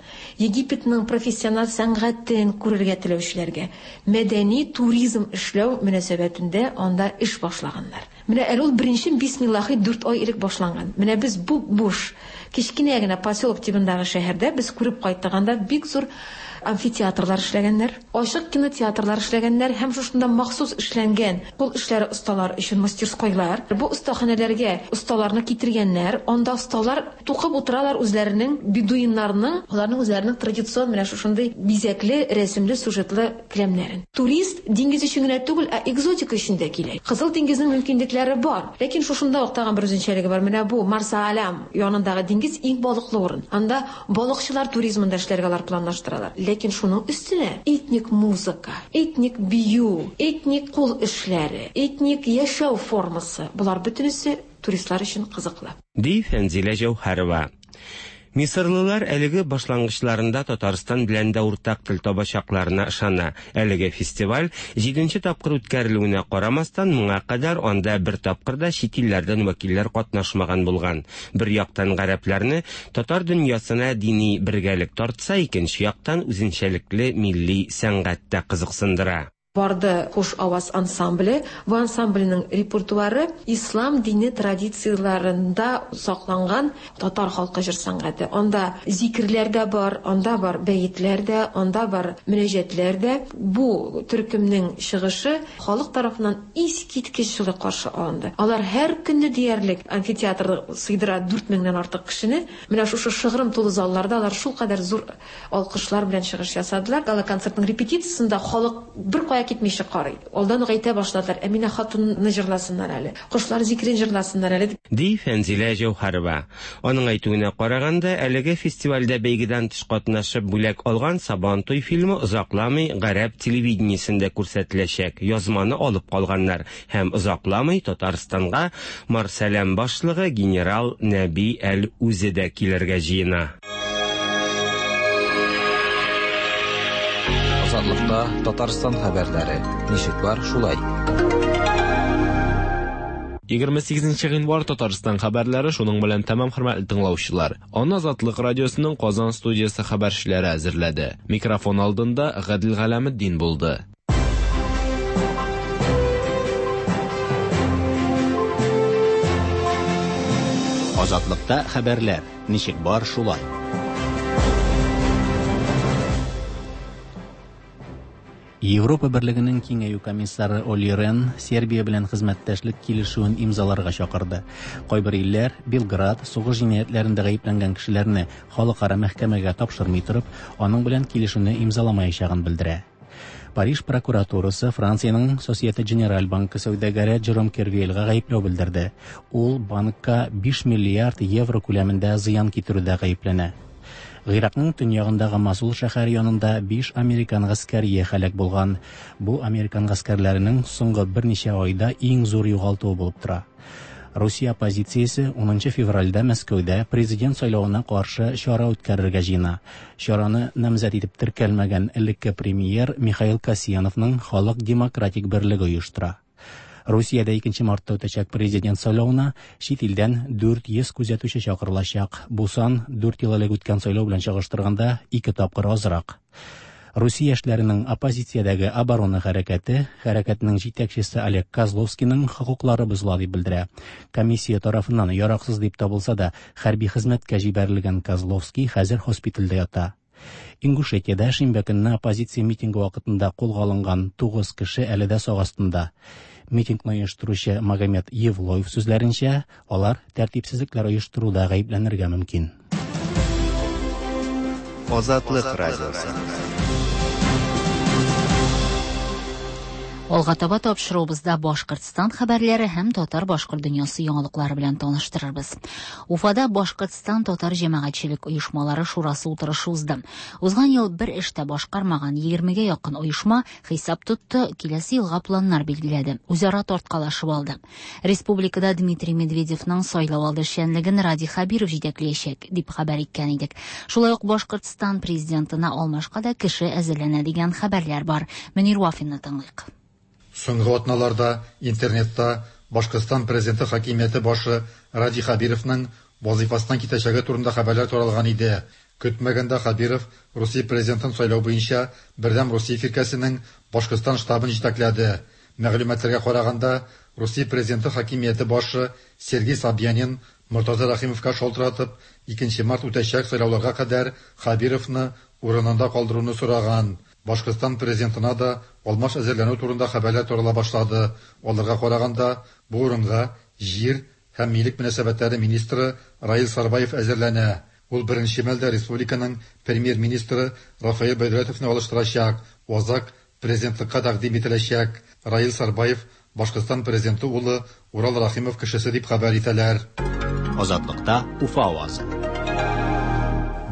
Египетның профессиональ сәнгатен күрергә теләүчеләргә мәдәни туризм эшләү мөнәсәбәтендә анда эш башлаганнар. Менә әле ул беренче бисмиллахи дүрт ай элек башланган. Менә без буп-буш, кечкенә генә поселок тибындагы шәһәрдә без күреп кайттык, анда бик зур амфитеатрлар эшләгәннәр, ачык кинотеатрлар эшләгәннәр һәм шушында махсус эшләнгән кул эшләре осталар өчен мастерскойлар. Бу остаханәләргә осталарны китергәннәр. Анда осталар тукып утыралар үзләренең бедуиннарның, аларның үзләренең традицион менә шушындый бизәкле, рәсемле, сюжетлы келәмнәрен. Турист диңгез өчен генә түгел, ә экзотика өчен дә килә. Кызыл диңгезнең мөмкинлекләре бар. Ләкин шушында ук тагын бер үзенчәлеге бар. Менә бу Марса-Алям янындагы диңгез иң балыклы урын. Анда балыкчылар туризмын да эшләргә алар планлаштыралар. Ләкин шуның өстенә этник музыка, этник бию, этник кул эшләре, этник яшәү формасы, болар бөтенесе туристлар өчен кызыклы. Ди Фәнзилә Җәүһәрова. Мисырлылар әлеге башлангычларында Татарстан белән дә уртак тел табачакларына ышана. Әлеге фестиваль җиденче тапкыр үткәрелүенә карамастан, моңа кадәр анда бер тапкыр да чит илләрдән вәкилләр катнашмаган булган. Бер яктан гарәпләрне татар дөньясына дини бергәлек тартса, икенче яктан үзенчәлекле милли сәнгать тә кызыксындыра. Барды Хуш аваз ансамбле. Бу ансамбльнең репертуары ислам дине традицияләрендә сакланган татар халкы җыр сәнгате. Анда зикерләр дә бар, анда бар бәетләр дә, анда бар мөнәҗәтләр дә. Бу төркемнең чыгышы халык тарафыннан искиткеч җылы каршы алынды. Алар һәр көнне диярлек амфитеатр сыйдыра 4 меңнән артык кешене. Менә шушы шыгрым тулы залларда алар шулкадәр зур алкышлар белән чыгыш ясадылар. Гала-концертның репетициясендә халык беркая китмичә карый. Алдан ук әйтә башладылар, Әминә хатынны җырласыннар әле, Кошлар зикерен җырласыннар әле дип. Ди Фәнзилә Җәүһәрова. Аның әйтүенә караганда, әлеге фестивальдә бәйгедән тыш катнашып бүләк алган Сабантуй фильмы озакламый гарәп телевидениесендә күрсәтеләчәк, язманы алып калганнар һәм озакламый Татарстанга Марсәләм башлыгы генерал Нәби Әл үзе дә килергә җыена. Азатлыкта Татарстан хәбәрләре. Ничек бар, шулай. 28 гыйнвар Татарстан хәбәрләре шуның белән тәмам, хөрмәтле тыңлаучылар. Аны Азатлык радиосының Казан студиясе хәбәрчеләре әзерләде. Микрофон алдында Гадел Галәметдин булды. Азатлыкта хәбәрләр. Ничек бар, шулай. Европа Берлегенең киңәю комиссары Оли Рен Сербия белән хезмәттәшлек килешүен имзаларга чакырды. Кайбер илләр Белград сугыш җинаятьләрендә гаепләнгән кешеләрне халыкара мәхкәмәгә тапшырмый торып, аның белән килешүне имзаламаячагын белдерә. Париж прокуратурасы Франциянең Societe Generale банкы сәүдәгәре Джером Кервельга гаепләү белдерде. Ул банкка 5 миллиард евро күләмендә зыян китерүдә гаепләнә. Гыйракның төньягындагы Масул шәһәре янында 5 американ гаскәрие һәлак булган. Бу американ гаскәрләренең соңгы берничә айда иң зур югалтуы булып тора. Русия оппозициясе 10 февральдә Мәскәүдә президент сайлавына каршы чара үткәрергә җыена. Чараны намзәт итеп теркәлмәгән элекке премьер Михаил Касьяновның Халык демократик берлеге оештыра. Русиядә 2 мартта үтәчәк президент сайлавына чит илдән 400 күзәтүче чакырылачак. Бу сан 4 ел элек үткән сайлау белән чагыштырганда 2 тапкыр азрак. Русия яшьләренең оппозициядәге оборона хәрәкәте, хәрәкәтнең җитәкчесе Олег Козловскийның хокуклары бозыла дип белдерә. Комиссия тарафыннан яраксыз дип табылса да, хәрби хезмәткә җибәрелгән Козловский хәзер хоспитальдә ята. Ингушетиядә шимбә көнне оппозиция митингы вакытында кулга алынган 9 кеше әле дә сак астында. Митингны оештыручы Магомед Евлоев сүзләренчә, алар тәртипсезлекләр оештыруда гаепләнергә мөмкин. Азатлык радиосы. Алга таба тапшыруыбызда Башкортстан хәбәрләре һәм татар-башкорт дөньясы яңалыклары белән таныштырырбыз. Уфада Башкортстан татар җәмәгатьчелек оешмалары шурасы утырышы узды. Узган ел бер эш тә башкармаган 20гә якын оешма хисап тотты, киләсе елга планнар билгеләде, үзара тарткалашып алды. Республикада Дмитрий Медведевның сайлау алды эшчәнлеген Радий Хәбиров җитәкләячәк, дип хәбәр иткән идек. Шулай ук Башкортстан президентына алмашка да кеше әзерләнә дигән хәбәрләр бар. Мөнир Вафинны тыңлыйк. Соңгы атналарда интернетта Башкортстан президенты хакимияте башы Радий Хәбировның вазифасыннан китәчәге турында хәбәрләр таралган иде. Көтмәгәндә Хәбиров Русия президентын сайлау буенча Бердәм Русия фиркәсенең Башкортстан штабын җитәкләде. Мәгълүматларга караганда, Русия президенты хакимияте башы Сергей Собянин Мортаза Рәхимовка шалтыратып, 2 март үтәчәк сайлауларга кадәр Хәбировны урынында калдыруны сораган. Башкортстан президентына да алмаш әзерләнү турында хәбәрләр тарала башлады. Аларга караганда, бу урынга җир һәм милек мөнәсәбәтләре министры Раил Сарбаев әзерләнә. Ул беренче мәлдә республиканың премьер-министры Рафаэль Бәйдүләтовны алыштырачак. Азак президентлыкка тәкъдим ителәчәк. Раил Сарбаев Башкортстан президенты улы Урал Рахимов кешесе дип хәбәр итәләр. Азатлыкта Уфа авазы.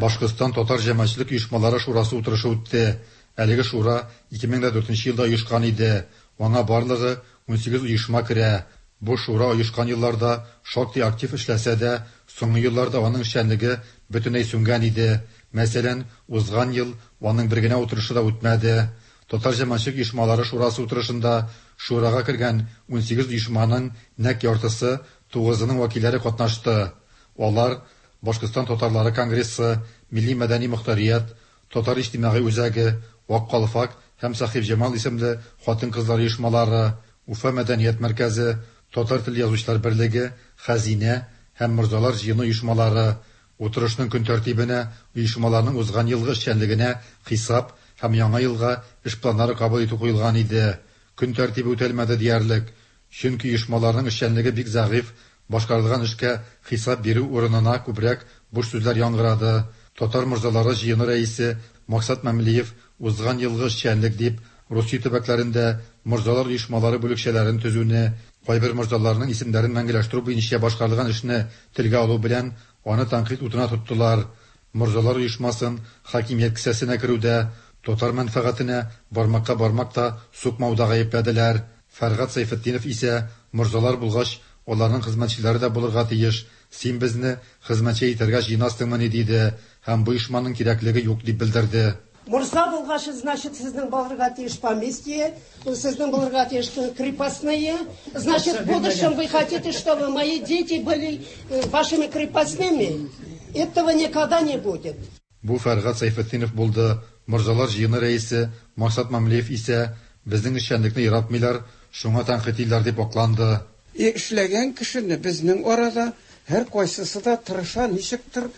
Башкортстан татар җәмәгатьчелек оешмалары шурасы утырышы үтте. Әлеге шура 2004 елда оешкан иде. Аңа барлыгы 18 оешма керә. Бу шура оешкан елларда шактый актив эшләсә дә, соңгы елларда аның эшчәнлеге бөтенләй сүнгән иде. Мәсәлән, узган ел аның бер генә утырышы да үтмәде. Татар җәмәгатьчелек оешмалары шурасы утырышында шурага кергән 18 оешманың нәкъ яртысы, тугызының вәкилләре катнашты. Алар, Башкортстан татарлары конгрессы, Милли-мәдәни мохтарият, Татар иҗтимагый үзәге, Ак калфак һәм Сәхибҗамал исемле хатын-кызлар оешмалары, Уфа мәдәният мәркәзе, Татар теле язучылар берлеге, Хәзинә һәм Морзалар җыены оешмалары. Утырышның көн тәртибенә оешмаларның узган елгы эшчәнлегенә хисап һәм яңа елга эш планнары кабул итү куелган иде. Көн тәртибе үтәлмәде диярлек. Чөнки оешмаларның эшчәнлеге бик зәгыйфь, башкарылган эшкә хисап бирү урынына күбрәк буш сүзләр яңгырады. Татар морзалары җыены рәисе Максат Мәмлиев узган елгы эшчәнлек дип Русия төбәкләрендә морзалар оешмалары бүлекчәләрен төзүне, кайбер морзаларның исемнәрен мәңгеләштерү буенча башкарылган эшне телгә алу белән аны тәнкыйть утына тоттылар. Морзалар оешмасын хакимият кесәсенә керүдә, татар мәнфәгатенә бармакка бармак та сукмауда гаепләделәр. Фәргать Сәйфетдинов исә, морзалар булгач, аларның хезмәтчеләре дә булырга тиеш, син безне хезмәтче итәргә җыенасыңмыни, диде һәм бу оешманың кирәклеге юк дип белдерде. Морза булгач, значит, сезнең булырга тиеш поместье, сезнең булырга тиеш крепостные. Значит, в будущем вы хотите, чтобы мои дети были вашими крепостными? Этого никогда не будет. Бу Фәргать Сәйфетдинов булды. Морзалар җыены рәисе Максат Мамлеев исә, безнең эшчәнлекне яратмыйлар, шуңа тәнкыйтьлиләр дип акланды. Эшләгән кешене безнең арада һәркайсысы да тырыша ничектер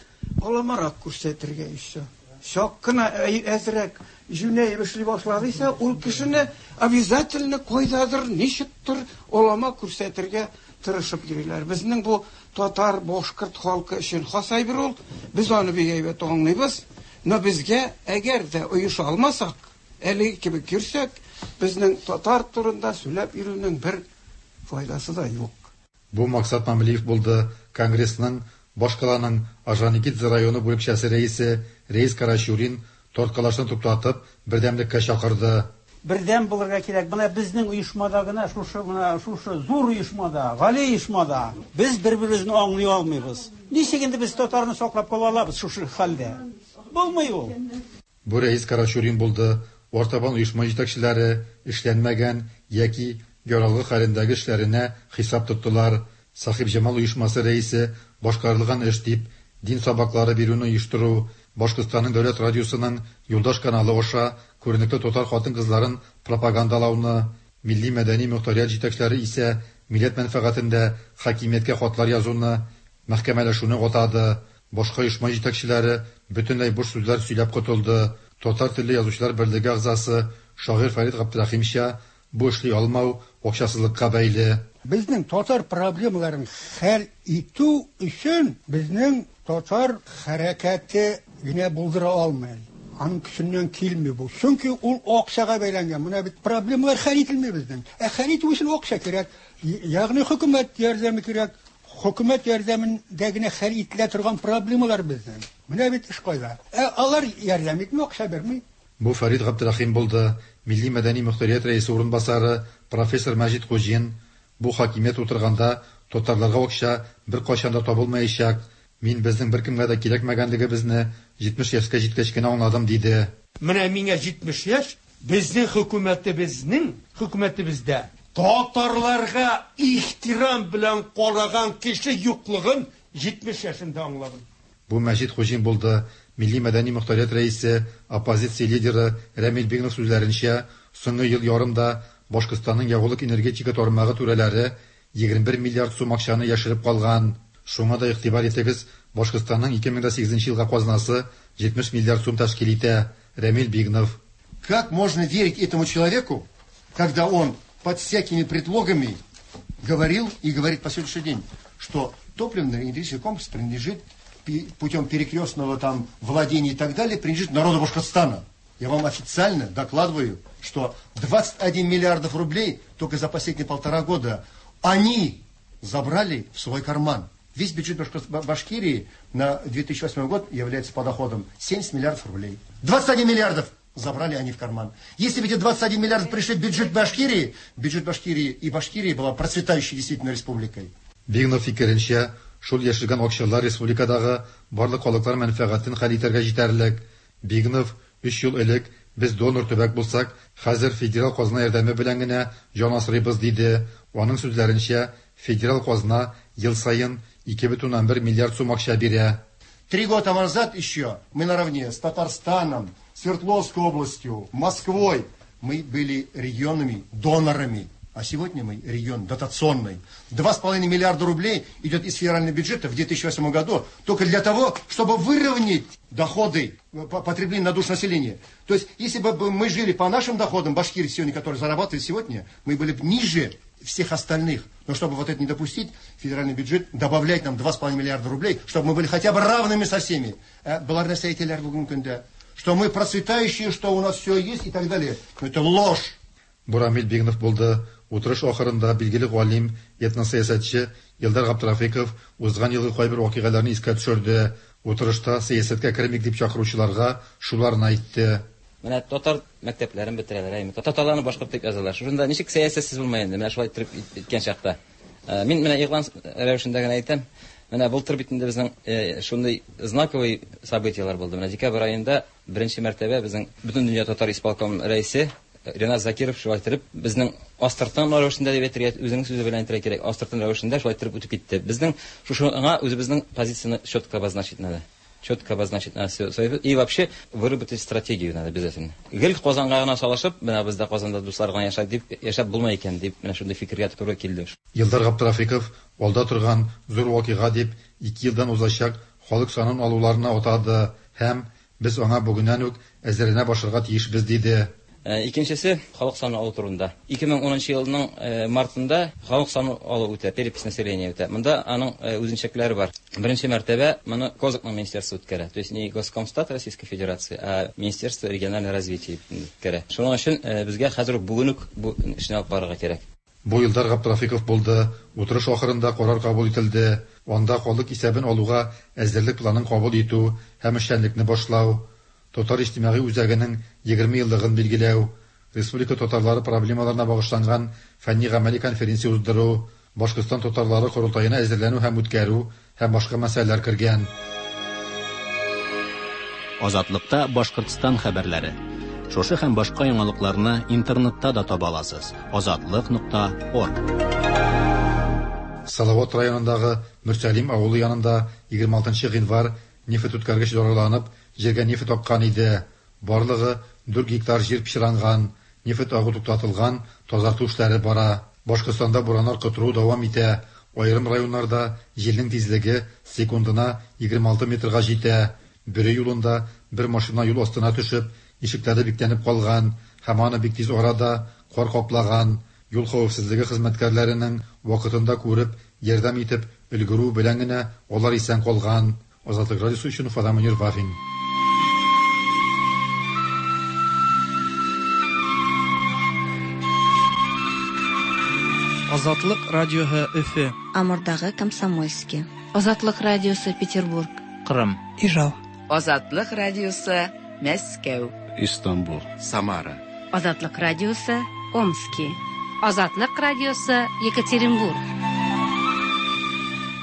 аламарак күрсәтергә еще. Чак кына әзрәк җүнәеп эшли башлады исә, ул кешене обязательно кайдадыр, ничектер алама күрсәтергә тырышып йөриләр. Безнең бу татар, башкорт халкы өчен хас әйбер ул. Без аны бик әйбәт аңлыйбыз. Но безгә әгәр дә оеша алмасак, әлеге кебек йөрсәк, безнең татар турында сөйләп йөрүнең бер файдасы да юк. Бу Максат Мамлеев булды. Конгрессның башкаланың Орджоникидзе районы бүлекчәсе рәисе Рәис Карачурин тарткалашны туктатып, бердәмлеккә чакырды. Бердәм булырга кирәк. Менә безнең оешмада гына шушы менә шушы зур оешмада, гали оешмада без бер-беребезне аңлый алмыйбыз. Ничек инде без татарны саклап кала алабыз шушы хәлдә? Булмый ул. Бу Рәис Карачурин булды. Артабан оешма җитәкчеләре эшләнмәгән яки яралгы хәлендәге эшләренә хисап тоттылар. Сәхибҗамал оешмасы рәисе башкарылган эш дип дин сабаклары бирүне оештыру, Башкортстанның дәүләт радиосының Юлдаш каналы аша күренекле татар хатын-кызларын пропагандалауны, милли-мәдәни мохтарият җитәкчеләре исә милләт мәнфәгатендә хакимияткә хатлар язуны, мәхкәмәләшүне атады. Башка оешма җитәкчеләре бөтенләй буш сүзләр сөйләп котылды. Татар телле язучылар берлеге әгъзасы, шагыйрь Фәрит Габдрәхимча, бу эшли алмау акчасызлыкка бәйле. Безнең татар проблемаларын хәл итү өчен безнең татар хәрәкәте генә булдыра алмый. Аның көченнән килми бу. Чөнки ул акчага бәйләнгән. Менә бит проблемалар хәл ителми безнең. Ә хәл итү өчен акча кирәк. Ягъни хөкүмәт ярдәме кирәк. Хөкүмәт ярдәмендә генә хәл ителә торган проблемалар безнең. Менә бит эш кайда. Ә алар ярдәм итми, акча бирми. Бу Фәрит Габдрәхим булды. Милли-мәдәни мохтарият рәисе урынбасары профессор Мәҗит Хуҗин, бу хакимият утырганда татарларга акча беркайчан да табылмаячак, мин безнең беркемгә дә кирәкмәгәнлегебезне 70 яшькә җиткәч кенә аңладым, диде. Менә миңа 70 яшь, безнең хөкүмәтебезнең, хөкүмәтебездә татарларга ихтирам белән караган кеше юклыгын 70 яшемдә аңладым. Бу Мәҗит Хуҗин булды. Милли-мәдәни мохтарият рәисе, оппозиция лидеры Рәмил Бигнов сүзләренчә, соңгы ел ярымда Башкортстанның ягулык-энергетика тармагы түрәләре 21 миллиард сум акчаны яшереп калган. Шуңа да игътибар итегез, Башкортстанның 2008 елга казнасы 70 миллиард сум тәшкил итә. Рәмил Бигнов. Как можно верить этому человеку, когда он под всякими предлогами говорил и говорит по сегодняшний день, что топливно-энергетический комплекс принадлежит путем перекрестного там владения и так далее, принадлежит народу Башкортостана. Я вам официально докладываю, что 21 миллиардов рублей только за последние 1,5 года они забрали в свой карман. Весь бюджет Башкирии на 2008 год является подоходом 70 миллиардов рублей. 21 миллиардов забрали они в карман. Если бы эти 21 миллиардов пришли в бюджет Башкирии, бюджет Башкирии и Башкирия была процветающей действительно республикой. Бигнов фикеренчә, Шул яшелгән акчалар республикадагы барлык халыклар мәнфәгатен хәл итәргә җитәрлек. Бигнов, өч ел элек без донор төбәк булсак, хәзер федераль казна ярдәме белән генә җан асрыйбыз, диде. Аның сүзләренчә, федераль казна ел саен 2,1 миллиард сум акча бирә. Три года назад еще мы наравне с Татарстаном, Свердловской областью, Москвой мы были регионами донорами. А сегодня мы регион дотационный. 2,5 миллиарда рублей идет из федерального бюджета в 2008 году только для того, чтобы выровнять доходы потребления на душу населения. То есть, если бы мы жили по нашим доходам, башкиры сегодня, которые зарабатывают сегодня, мы были бы ниже всех остальных. Но чтобы вот это не допустить, федеральный бюджет добавляет нам 2,5 миллиарда рублей, чтобы мы были хотя бы равными со всеми. Что мы процветающие, что у нас все есть и так далее. Но это ложь. Бу Рамил Бигнов булды. Утырыш ахырында билгеле галим, этносәясәтче Илдар Габдрафиков узган елгы кайбер вакыйгаларны искә төшерде. Утырышта сәясәткә кермик дип чакыручыларга шуларны әйтте. Менә татар мәктәпләрен бетерәләр, әйме. Татарларны башкорт дип язалар. Шушында ничек сәясәтсез булмай инде, менә шулай иттереп иткән чакта. Мин менә игълан рәвешендә генә әйтәм. Менә былтыр бит инде безнең шундый знаковый событиелар булды. Менә декабрь аенда беренче мәртәбә безнең Бөтендөнья татар исполком рәисе Ренат Закиров шулай иттереп безнең астыртын рәвешендә дип әйтергә, үзенең сүзе белән әйтергә кирәк, астыртын рәвешендә шулай иттереп үтеп китте. Безнең шушыңа үзебезнең позицияне четко обозначить надо. Четко обозначить надо свою и вообще выработать стратегию надо обязательно. Гел Казанга гына салышып, менә бездә Казанда дуслар гына яшәй дип яшәп булмый икән дип менә шундый фикергә туры килде. Илдар Габдрафиков алда торган зур вакыйга дип 2 елдан узачак халык санын алуларына атады һәм без аңа бүгеннән үк әзерләнә башларга тиешбез диде. Икенчесе халык саны алу турында. 2010 елның мартында халык саны алу үтә, перепись населения үтә. Монда аның үзенчәлекләре бар. Беренче мәртәбә моны Козакның министерствосы үткәрә. То есть не Госкомстат Российской Федерации, а Министерство регионального развития үткәрә. Шуның өчен безгә хәзер үк бүген үк бу эшне алып барырга кирәк. Бу Илдар Габдрафиков булды. Утырыш ахырында карар кабул ителде. Анда халык исәбен алуга әзерлек планын кабул итү һәм эшчәнлекне башлау, Татар иҗтимагый үзәгенең 20 еллыгын билгеләү, республика татарлары проблемаларына багышланган фәнни-гамәли конференция уздыру, Башкортстан татарлары корылтаена әзерләнү һәм үткәрү һәм башка мәсьәләләр кергән. Азатлыкта Башкортстан хәбәрләре. Шушы һәм башка яңалыкларны интернетта да таба аласыз. Азатлык.орг. Салават районындагы Мөрсәлим авылы янында 26 гыйнвар нефть үткәргеч зарарланып, җиргә нефть аккан иде. Барлыгы 4 гектар җир пычранган, нефть агу туктатылган, тазарту эшләре бара. Башкортстанда бураннар котыру дәвам итә. Аерым районнарда җилнең тизлеге секундына 26 метрга җитә. Бөре юлында бер машина юл астына төшеп, ишекләре бикләнеп калган һәм аны бик тиз арада кар каплаган. Юл хәвефсезлеге хезмәткәрләренең вакытында күреп, ярдәм итеп өлгерү белән генә алар исән калган. Азатлык радиосы өчен Уфадан Мөнир Вафин. Азатлык радиоһы Өфе. Амурдагы Комсомольский. Азатлык радиосы Петербург. Кырым. Ижау. Азатлык радиосы Мәскәү. Истанбул. Самара. Азатлык радиосы Омски. Азатлык радиосы Екатеринбург.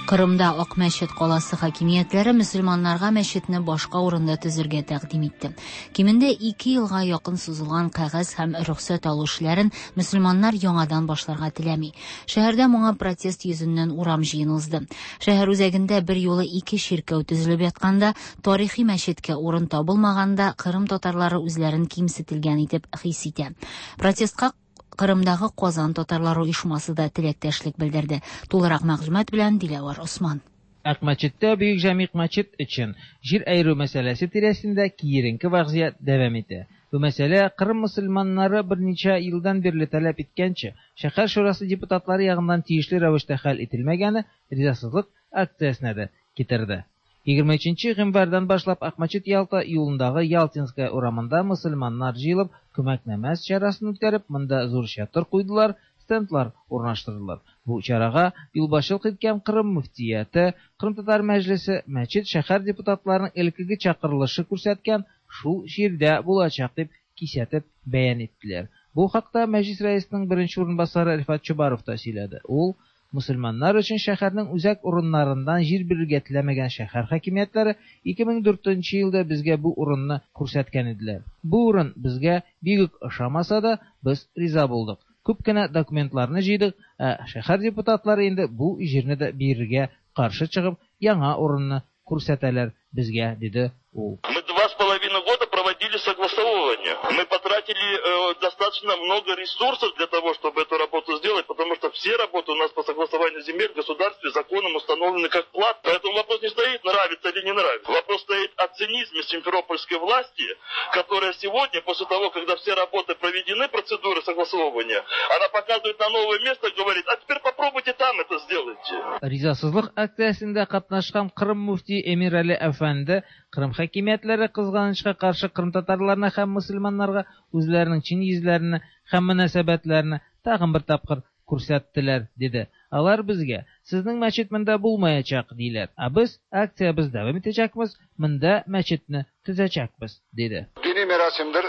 Кырымда Ак мәчет каласы хакимиятләре мөселманнарга мәчетне башка урында төзергә тәкъдим итте. Кимендә 2 елга якын сузылган кәгазь һәм рөхсәт алу эшләрен мөселманнар яңадан башларга теләми. Шәһәрдә моңа протест йөзеннән урам җыены узды. Шәһәр үзәгендә бер юлы 2 чиркәү төзелеп ятканда, тарихи мәчеткә урын табылмаганда, Кырым татарлары үзләрен кимсетелгән итеп хис итә. Протестка Кырымдагы Казан татарлары оешмасы да теләктәшлек белдерде. Тулырак мәгълүмат белән Диләвар Осман. Акмәчеттә Бөек Җәмигъ мәчет өчен җир әйрү мәсьәләсе тирәсендә киеренке вазгыять дәвам итә. Бу мәсьәлә Кырым мөселманнары берничә елдан бирле таләп иткәнчә, шәһәр шурасы депутатлары ягыннан тиешле рәвештә хәл ителмәгәне ризасызлык акциясенә дә китерде. 23 гыйнвардан башлап Акмәчет Ялта юлындагы Ялтинская урамында мөселманнар җыелып күмәк намаз чарасын үткәреп, монда зур чатыр куйдылар, стендлар урнаштырдылар. Бу чарага юлбашчылык иткән Кырым мөфтияте, Кырым татар мәҗлесе, мәчет шәһәр депутатларының элеккеге чакырылышы күрсәткән шул җирдә булачак дип кисәтеп бәян иттеләр. Бу хакта мәҗлис рәисенең беренче урынбасары Рифат Чубаров та сөйләде. Ул Мөселманнар өчен шәһәрнең үзәк урыннарыннан җир бирергә теләмәгән шәһәр хакимиятләре 2004 елда безгә бу урынны күрсәткән иделәр. Бу урын безгә бик үк ошамаса да, без риза булдык. Күп кенә документларны җыйдык, ә шәһәр депутатлары инде бу җирне дә бирергә каршы чыгып, яңа урынны күрсәтәләр безгә, диде ул. Мы 2,5 года проводили согласовывание. Мы потратили достаточно много ресурсов для того, чтобы эту работу сделать, потому что все работы у нас по согласованию земель в государстве законом установлены как плат. Поэтому вопрос не стоит, нравится или не нравится. Вопрос стоит о цинизме симферопольской власти, которая сегодня, после того, когда все работы проведены, процедуры согласовывания, она показывает на новое место и говорит, а теперь попробуйте там это сделайте. Ризасызлык акциясендә катнашкан Кырым мөфти Эмирали әфәнде Кырым хакимиятләре кызганычка каршы кырымтатарларны һәм мөселманнарга үзләренең чын йөзләрен һәм мөнәсәбәтләрен тагын бер тапкыр күрсәттеләр, диде. Алар безгә, сезнең мәчет монда булмаячак, диләр. Ә без акциябез дәвам итәчәкбез, монда мәчетне төзәчәкбез, диде. Dini merasimdir.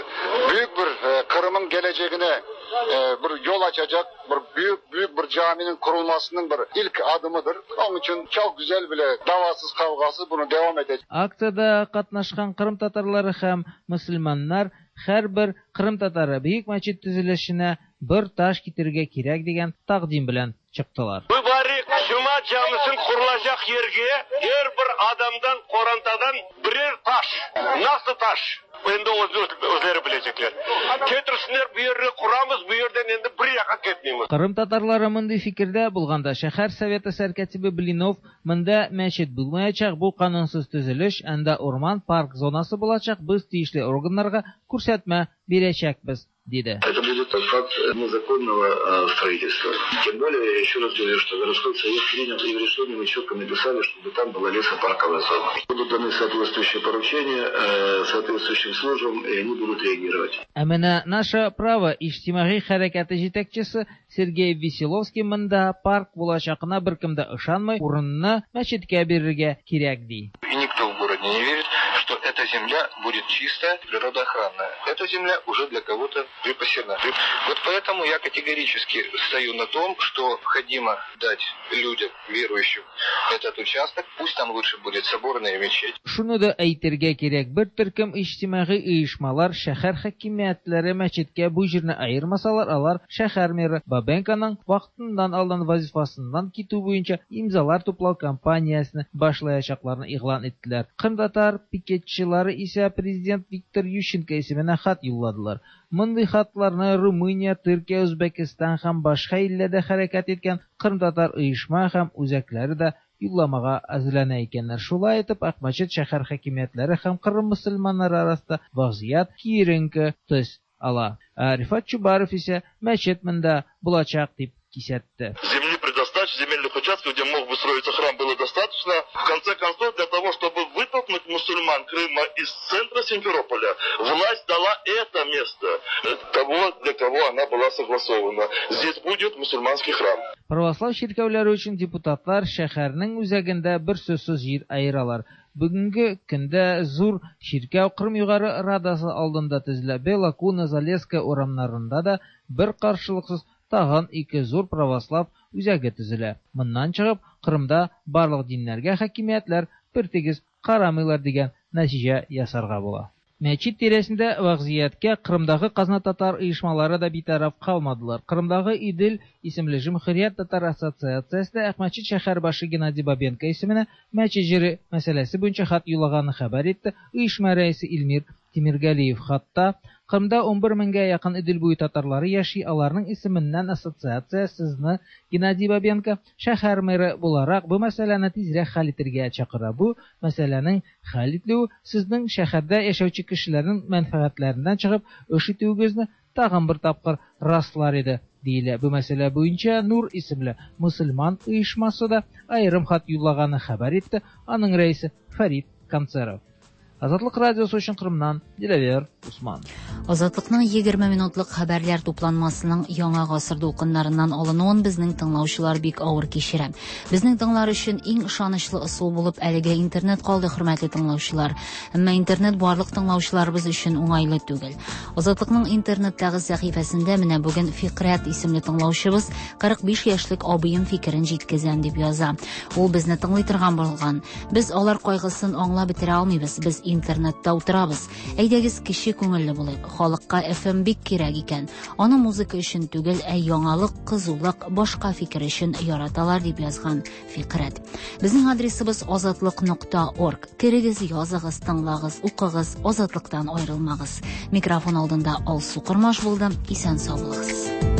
Büyük bir Kırım'ın geleceğine bir yol açacak bir büyük büyük bir caminin kurulmasının bir ilk adımıdır. Onun için çok güzel bile davasız kavgasız bunu devam edecek. Акциядә катнашкан Кырым татарлары һәм мөселманнар һәрбер Кырым татары бөек мәчет төзелешенә бер таш китерергә кирәк дигән тәкъдим белән чыктылар. Mübarek Cuma camisinin kurulacak yerge her bir adamdan, korantadan birer taş. Nasıl taş? Endi özleri bilecekler. Getirsinler bu yerine kuramız, bu yerden endi bir yaka ketmeymiz. Кырым татарлары мондый фикердә булганда шәһәр советы сәркатибе Блинов монда мәчет булмаячак, бу канунсыз төзелеш, анда урман парк зонасы булачак, без тиешле органнарга күрсәтмә бирәчәкбез, диде. Это будет факт незаконного строительства. Тем более, я еще раз говорю, что городской совет принял и в решении мы четко написали, чтобы там была лесопарковая зона. Будут даны соответствующие поручения соответствующим службам, и они будут реагировать. Ә менә «Наше право» иҗтимагый хәрәкәте җитәкчесе Сергей Веселовский монда парк булачагына беркем дә ышанмый, урынны мәчеткә бирергә кирәк, ди. И никто в городе не верит, что эта земля будет чистая, природоохранная. Эта земля уже для кого-то припасена. Вот поэтому я категорически стою на том, что необходимо дать людям, верующим, этот участок. Пусть там лучше будет соборная мечеть. Шуны да әйтергә кирәк, бер төркем иҗтимагый оешмалар шәһәр хакимиятләре мәчеткә бу җирне аермасалар, алар шәһәр мэры Бабенконың вакытыннан алдан вазифасыннан китү буенча имзалар туплау кампаниясен башлаячакларын игълан иттеләр. Кырымтатар пикетчылары исә президент Виктор Ющенко исеменә хат юлладылар. Мондый хатларны Румыния, Төркия, Үзбәкстан һәм башка илләрдә хәрәкәт иткән кырымтатар оешма һәм үзәкләре дә юлламага әзерләнә икәннәр. Шулай итеп, Акмәчет шәһәр хакимиятләре һәм Кырым мөселманнары арасында вазгыять киеренке төс ала. Рифат Чубаров исә мәчет монда булачак дип кисәтте. Земли предостаточно, земельных участков, где мог бы строиться храм, было достаточно. В конце концов, для того, чтобы вытолкнуть мусульман Крыма из центра Симферополя, власть дала это место того, для кого она была согласована. Здесь будет мусульманский храм. Православ чиркәүләре өчен депутатлар шәһәрнең үзәгендә бер сүзсез җир аералар. Бүгенге көндә зур чиркәү Кырым Югары Радасы алдында төзелә. Белокуна, Залесская урамнарында да бер каршылыксыз тагын ике зур православ үзәге төзелә. Моннан чыгып, Кырымда барлык диннәргә хакимиятләр бертигез карамыйлар дигән нәтиҗә ясарга була. Мәчет тирәсендә вазгыятькә Кырымдагы казна татар оешмалары да битараф калмадылар. Кырымдагы Идел исемле Җөмһүрият татар ассоциациясе Акмәчет шәһәр башы Геннадий Бабенко исеменә мәчет җире мәсьәләсе буенча хат юллаганын хәбәр итте. Оешма рәисе Илмир Тимиргалиев хатта Кырымда 11 меңгә якын Идел буе татарлары яши, аларның исеменнән ассоциация сезне Геннадий Бабенко шәһәр мэры буларак бу мәсьәләне тизрәк хәл итәргә чакыра. Бу мәсьәләнең хәл ителүе сезнең шәһәрдә яшәүче кешеләрнең мәнфәгатьләреннән чыгып эш итүегезне тагын бер тапкыр раслар иде, диелә. Бу мәсьәлә буенча Нур исемле мөселман оешмасы да аерым хат юллаганы хәбәр итте. Аның рәисе Фәрит Канцеров. Азатлык радиосы өчен Кырымнан Диләвер Усман. Азатлыкның 20 минутлык хәбәрләр тупланмасының яңа гасыр дулкыннарыннан алынуын безнең тыңлаучылар бик авыр кичерә. Безнең тыңлар өчен иң ышанычлы ысул булып әлегә интернет калды, хөрмәтле тыңлаучылар. Әмма интернет барлык тыңлаучыларыбыз өчен уңайлы түгел. Азатлыкның интернеттагы сәхифәсендә менә бүген Фикрәт исемле тыңлаучыбыз 45 яшьлек абыем фикерен җиткезәм дип яза. Ул безне тыңлый торган булган. Без алар кайгысын аңлап бетерә алмыйбыз. Без интернетта утырабыз. Әйдәгез кече күңелле булыйк. Халыкка FM бик кирәк икән. Аны музыка өчен түгел, ә яңалык, кызулык, башка фикер өчен яраталар дип язган Фикрәт. Безнең адресыбыз азатлык.орг. Керегез, языгыз, тыңлагыз, укыгыз, азатлыктан аерылмагыз. Микрофон алдында Алсу Кормаш булды. Исән сау булыгыз.